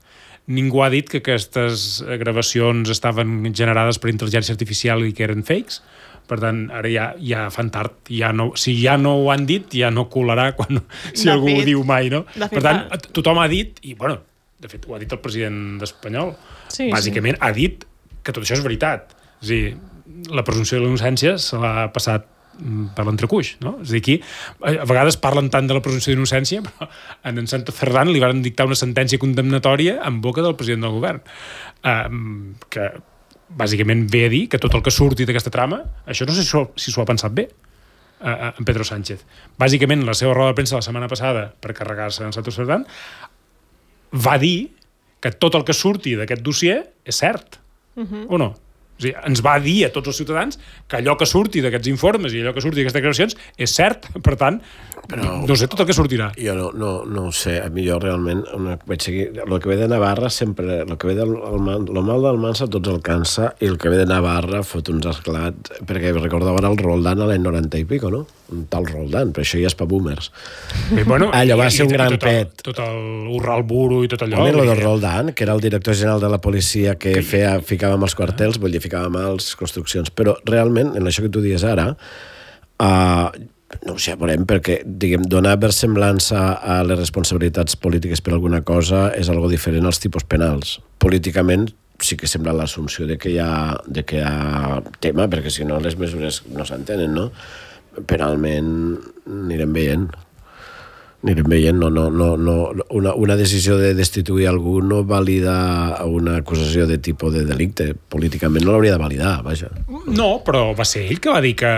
ningú ha dit que aquestes gravacions estaven generades per intel·ligència artificial i que eren fakes. Per tant, ara ja, ja fan tard. Ja no, si ja no ho han dit, ja no colarà quan, si de algú fet, ho diu mai, no? Per fet, tant, tothom ha dit, i bueno, de fet, ho ha dit el president espanyol, sí, bàsicament sí. Ha dit que tot això és veritat. És a dir, la presumpció de la innocència se l'ha passat per l'entrecuix, no? És a dir, aquí, a vegades parlen tant de la presumpció d'innocència, però en en Santos Cerdán li van dictar una sentència condemnatòria en boca del president del govern. Um, que bàsicament ve a dir que tot el que surti d'aquesta trama, això no sé si s'ho ha pensat bé, eh, en Pedro Sánchez. Bàsicament, la seva roda de premsa la setmana passada, per carregar-se en Santos Cerdán, va dir que tot el que surti d'aquest dossier és cert, uh-huh. o no? O sigui, ens va dir a tots els ciutadans que allò que surti d'aquests informes i allò que surti d'aquestes declaracions és cert, per tant, però, no sé tot el que sortirà. Jo no, no, no ho sé, a mi jo realment una, vaig seguir, el que ve de Navarra sempre, el que ve del el mal, el mal del Mansa tots el cansa, i el que ve de Navarra fot uns esclats, perquè recordava el Roldán a l'any noranta i pico, no? Un tal Roldán, però això ja és pa boomers. I, bueno, allò va i, ser un i, gran tot el, pet. Tot el Urral Buru i tot allò. Home, lo de Roldán, que era el director general de la policia que, que feia, ficava amb els quartels, vull dir, ficava amb els construccions, però realment, en això que tu dius ara, uh, no ho sé, veurem, perquè, diguem, donar versemblança a les responsabilitats polítiques per alguna cosa és algo diferent als tipus penals. Políticament, sí que sembla l'assumpció de que hi ha, de que hi ha tema, perquè si no les mesures no s'entenen, no? Penalment anirem veient. Anirem veient, no, no, no, no, una, una decisió de destituir algú no valida una acusació de tipus de delicte. Políticament no l'hauria de validar, vaja. No, però va ser ell que va dir que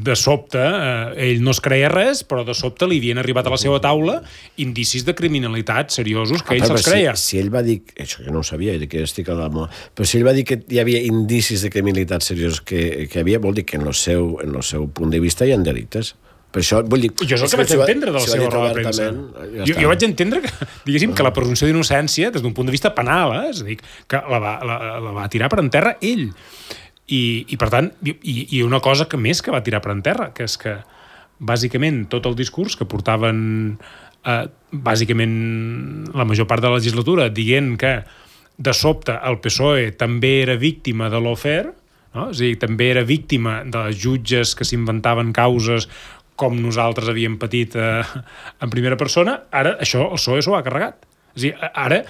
de sobte eh, ell no es creia res, però de sobte li havien arribat a la seva taula indicis de criminalitat seriosos que ell se'ls creia. Si, si ell va dir, això que no ho sabia, que estic a la mà, però si ell va dir que hi havia indicis de criminalitat seriosos que, que havia, vol dir que en el seu, en el seu punt de vista hi ha delictes. Per això, vull dir... Jo és el que vaig entendre de la seva roda de premsa. Ja jo, jo vaig entendre que, diguéssim, que la presumpció d'innocència, des d'un punt de vista penal, eh, és a dir, que la va, la, la va tirar per en terra ell. I, i per tant, i, i una cosa que més que va tirar per en terra, que és que, bàsicament, tot el discurs que portaven, eh, bàsicament, la major part de la legislatura, dient que, de sobte, el P S O E també era víctima de l'Ofer, no? És a dir, també era víctima de jutges que s'inventaven causes com nosaltres havíem patit eh, en primera persona, ara això el P S O E s'ho ha carregat. És a dir, ara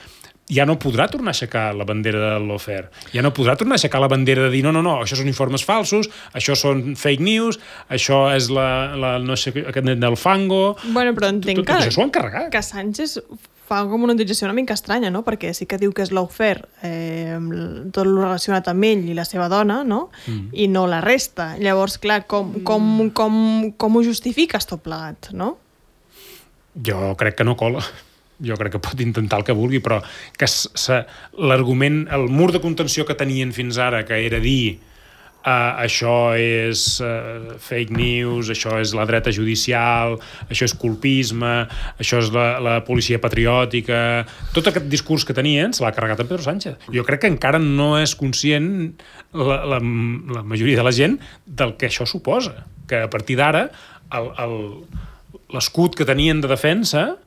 ja no podrà tornar a aixecar la bandera del lawfare, ja no podrà tornar a aixecar la bandera de dir no, no, no, això són informes falsos, això són fake news, això és la, la no sé, aquest net del fango... Bueno, però entenc tot, tot, tot que, això s'ho han carregat. que Sánchez fa com una utilització una mica estranya, no? Perquè sí que diu que és lawfare eh, tot el relacionat amb ell i la seva dona, no? Mm. I no la resta. Llavors, clar, com, com, com, com ho justifiques tot plegat, no? Jo crec que no cola. Jo crec que pot intentar el que vulgui, però que l'argument, el mur de contenció que tenien fins ara, que era dir Uh, això és uh, fake news, això és la dreta judicial, això és colpisme, això és la, la policia patriòtica... Tot aquest discurs que tenien se l'ha carregat en Pedro Sánchez. Jo crec que encara no és conscient la, la, la majoria de la gent del que això suposa. Que a partir d'ara l'escut que tenien de defensa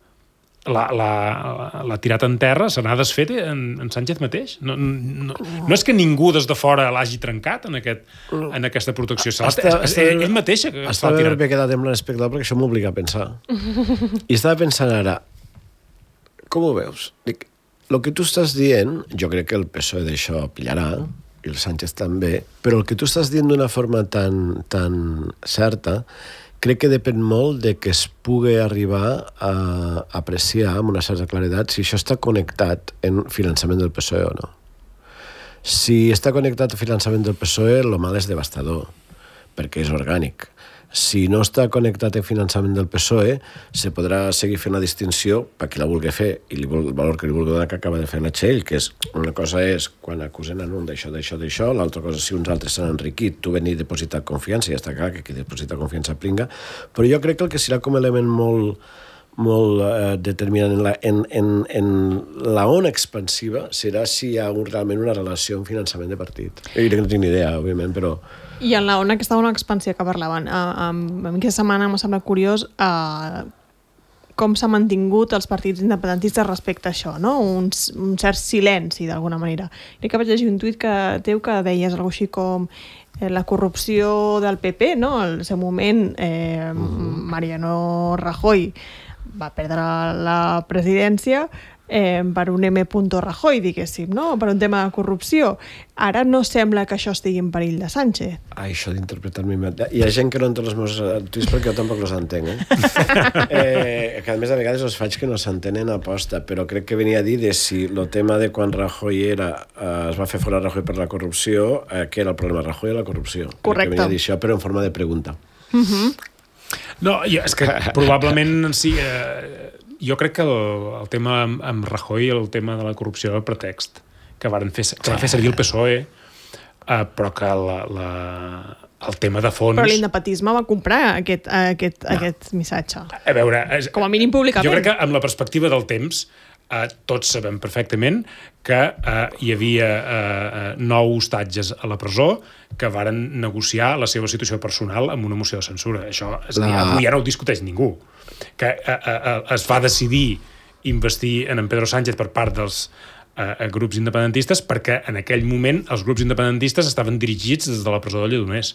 l'ha la, la tirat en terra, se n'ha desfet en, en Sánchez mateix. No, no, no és que ningú des de fora l'hagi trencat en, aquest, en aquesta protecció. Està, està, ell, ell mateix està bé haver quedat en l'espectacle perquè això m'obliga a pensar. I estava pensant ara, com ho veus? Dic, el que tu estàs dient, jo crec que el P S O E d'això pillarà, i el Sánchez també, però el que tu estàs dient d'una forma tan, tan certa crec que depèn molt de que es pugui arribar a apreciar amb una certa claredat si això està connectat en finançament del P S O E o no. Si està connectat al finançament del P S O E, el mal és devastador, perquè és orgànic. Si no està connectat en finançament del P S O E, se podrà seguir fent la distinció per qui la vulgui fer i el valor que li vulgui donar que acaba de fer la Txell, que és una cosa és quan acusen en un d'això, d'això, d'això, l'altra cosa si uns altres s'han enriquit, tu veni depositat confiança i ja està clar que qui deposita confiança pringa, però jo crec que el que serà com a element molt, molt eh, determinant en la, en, en, en la ona expansiva serà si hi ha un, realment una relació amb finançament de partit. Jo crec que no tinc ni idea, òbviament, però... I en la ona, aquesta ona expansió que parlaven, a, a, a mi aquesta setmana m'ha semblat curiós a, com s'ha mantingut els partits independentistes respecte a això, no? Un, un cert silenci, d'alguna manera. Crec que vaig llegir un tuit que teu que deies alguna cosa així com eh, la corrupció del P P, no? Al seu moment, eh, Mariano Rajoy va perdre la presidència eh, per un M. Rajoy, diguéssim, no? Per un tema de corrupció. Ara no sembla que això estigui en perill de Sánchez. Ah, això d'interpretar-me... Hi ha gent que no entén els meus tuits perquè jo tampoc els entenc, eh? eh? Que a més a vegades els faig que no s'entenen a posta, però crec que venia a dir de si el tema de quan Rajoy era, eh, es va fer fora Rajoy per la corrupció, eh, què era el problema, Rajoy o la corrupció? Correcte. Crec que venia a dir això, però en forma de pregunta. Uh-huh. No, és que probablement sí... Eh, jo crec que el, el tema amb, amb Rajoy, el tema de la corrupció era el pretext que, varen fer, que va fer servir el P S O E, eh, però que la, la, el tema de fons... Però l'independentisme va comprar aquest, aquest, no. aquest missatge. A veure... És, com a mínim públicament. Jo crec que amb la perspectiva del temps eh, tots sabem perfectament que eh, hi havia eh, nou hostatges a la presó que varen negociar la seva situació personal amb una moció de censura. Això és, la... avui ja no ho discuteix ningú. Que eh, eh, es va decidir investir en en Pedro Sánchez per part dels eh, grups independentistes perquè en aquell moment els grups independentistes estaven dirigits des de la presó de Lledoners.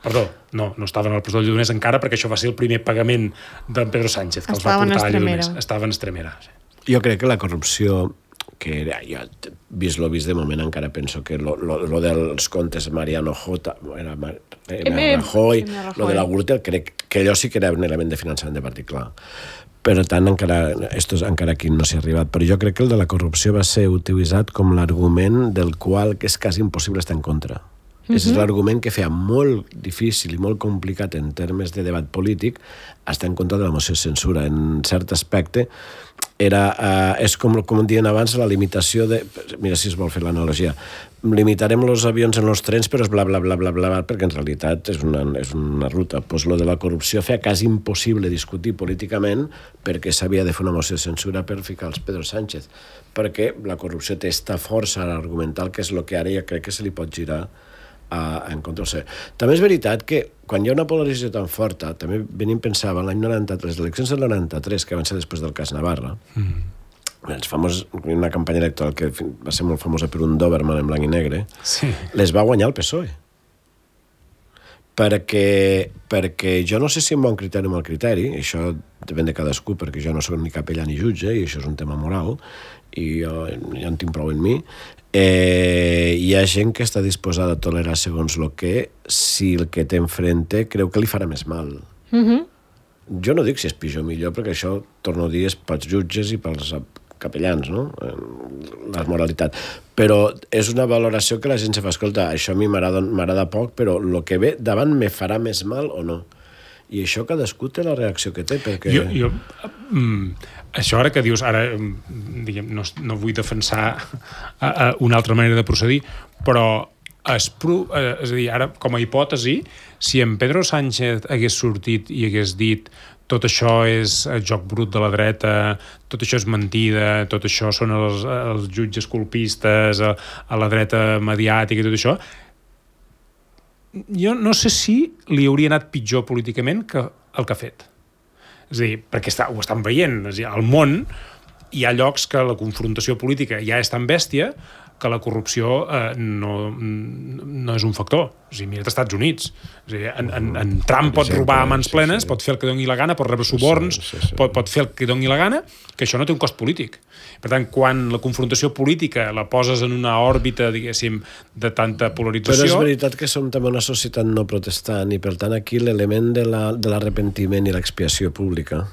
Perdó, no, no estaven a la presó de Lledoners encara perquè això va ser el primer pagament d'en Pedro Sánchez que estaven els va portar a Estremera. Lledoners. Estaven a Estremera. Sí. Jo crec que la corrupció que era, jo, vist lo vist de moment encara penso que lo, lo, lo dels comptes Mariano J era, Mar, era Rajoy, lo de la Gürtel crec que allò sí que era un element de finançament de partit, clar. Per tant, encara, estos, encara aquí no s'hi ha arribat, però jo crec que el de la corrupció va ser utilitzat com l'argument del qual que és quasi impossible estar en contra. Uh-huh. És l'argument que feia molt difícil i molt complicat en termes de debat polític estar en contra de la moció de censura. En cert aspecte era, uh, és com, com diuen abans, la limitació de... Mira si es vol fer l'analogia. Limitarem els avions en els trens, però és bla, bla, bla, bla, bla, perquè en realitat és una, és una ruta. Pues lo de la corrupció feia quasi impossible discutir políticament perquè s'havia de fer una moció de censura per ficar els Pedro Sánchez. Perquè la corrupció té esta força argumental que és el que ara ja crec que se li pot girar a, en contra del També és veritat que quan hi ha una polarització tan forta, també venim pensava l'any noranta-tres, les eleccions del noranta-tres, que van ser després del cas Navarra, mm. els famós, una campanya electoral que va ser molt famosa per un Doberman en blanc i negre, sí. les va guanyar el P S O E. perquè, perquè jo no sé si un bon criteri o mal criteri, això depèn de cadascú, perquè jo no soc ni capellà ni jutge, i això és un tema moral, i jo ja en tinc prou en mi. Eh, hi ha gent que està disposada a tolerar segons el que, si el que té enfrente creu que li farà més mal. Mhm. Jo no dic si és pitjor o millor, perquè això, torno a dir, és pels jutges i pels capellans, no? La moralitat. Però és una valoració que la gent se fa, escolta, això a mi m'agrada poc, però el que ve davant me farà més mal o no? I això cadascú té la reacció que té, perquè... Jo, jo, mm, això ara que dius, ara diguem, no, no vull defensar a, a una altra manera de procedir, però es, eh, és a dir, ara com a hipòtesi, si en Pedro Sánchez hagués sortit i hagués dit tot això és el joc brut de la dreta, tot això és mentida, tot això són els, els jutges colpistes, a, a la dreta mediàtica i tot això, jo no sé si li hauria anat pitjor políticament que el que ha fet. És a dir, perquè està, ho estan veient. És a dir, al món hi ha llocs que la confrontació política ja és tan bèstia que la corrupció eh, no, no és un factor. O sigui, mira't als Estats Units. És a dir, en, en, en Trump pot robar a mans plenes, pot fer el que doni la gana, pot rebre suborns, sí, sí, sí. Pot, pot fer el que doni la gana, que això no té un cost polític. Per tant, quan la confrontació política la poses en una òrbita, diguéssim, de tanta polarització... Però és veritat que som també una societat no protestant i, per tant, aquí l'element de l'arrepentiment i l'expiació pública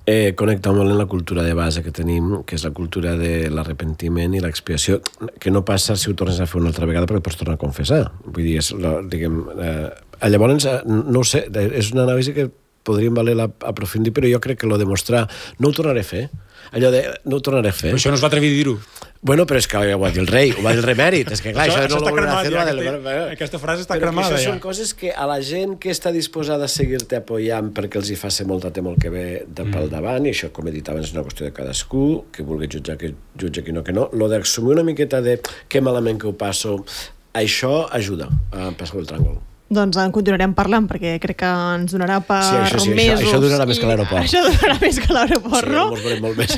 eh, connecta molt amb la cultura de base que tenim, que és la cultura de l'arrepentiment i l'expiació, que no passa si ho tornes a fer una altra vegada perquè pots tornar a confessar. Vull dir, és, la, diguem... Eh, llavors, no ho sé, és una anàlisi que podríem valer aprofundir, però jo crec que lo demostrar no ho tornaré a fer. Allò de no ho tornaré a fer. Però això no es va atrevir a dir-ho. Bueno, però és que ho va dir el rei, ho va dir el remèrit. És que clar, això, això, això això no està cremat, ja, del... aquesta, aquesta frase està però cremada, això ja. són coses que a la gent que està disposada a seguir-te apoyant perquè els hi fa ser molta temor que ve de pel mm. davant, i això, com he dit abans, és una qüestió de cadascú, que vulgui jutjar que jutja, que no, que no. Lo d'assumir una miqueta de que malament que ho passo, això ajuda a passar el tràngol. Doncs en continuarem parlant, perquè crec que ens donarà per sí, això, sí, mesos. Això, això donarà més que l'aeroport. Això donarà més que l'aeroport, sí, no? Sí, ens veurem molt més.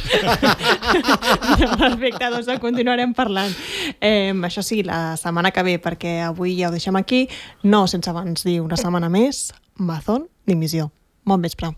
Perfecte, doncs en continuarem parlant. Eh, això sí, la setmana que ve, perquè avui ja ho deixem aquí, no sense abans dir una setmana més, Mazón, dimissió. Bon vespre.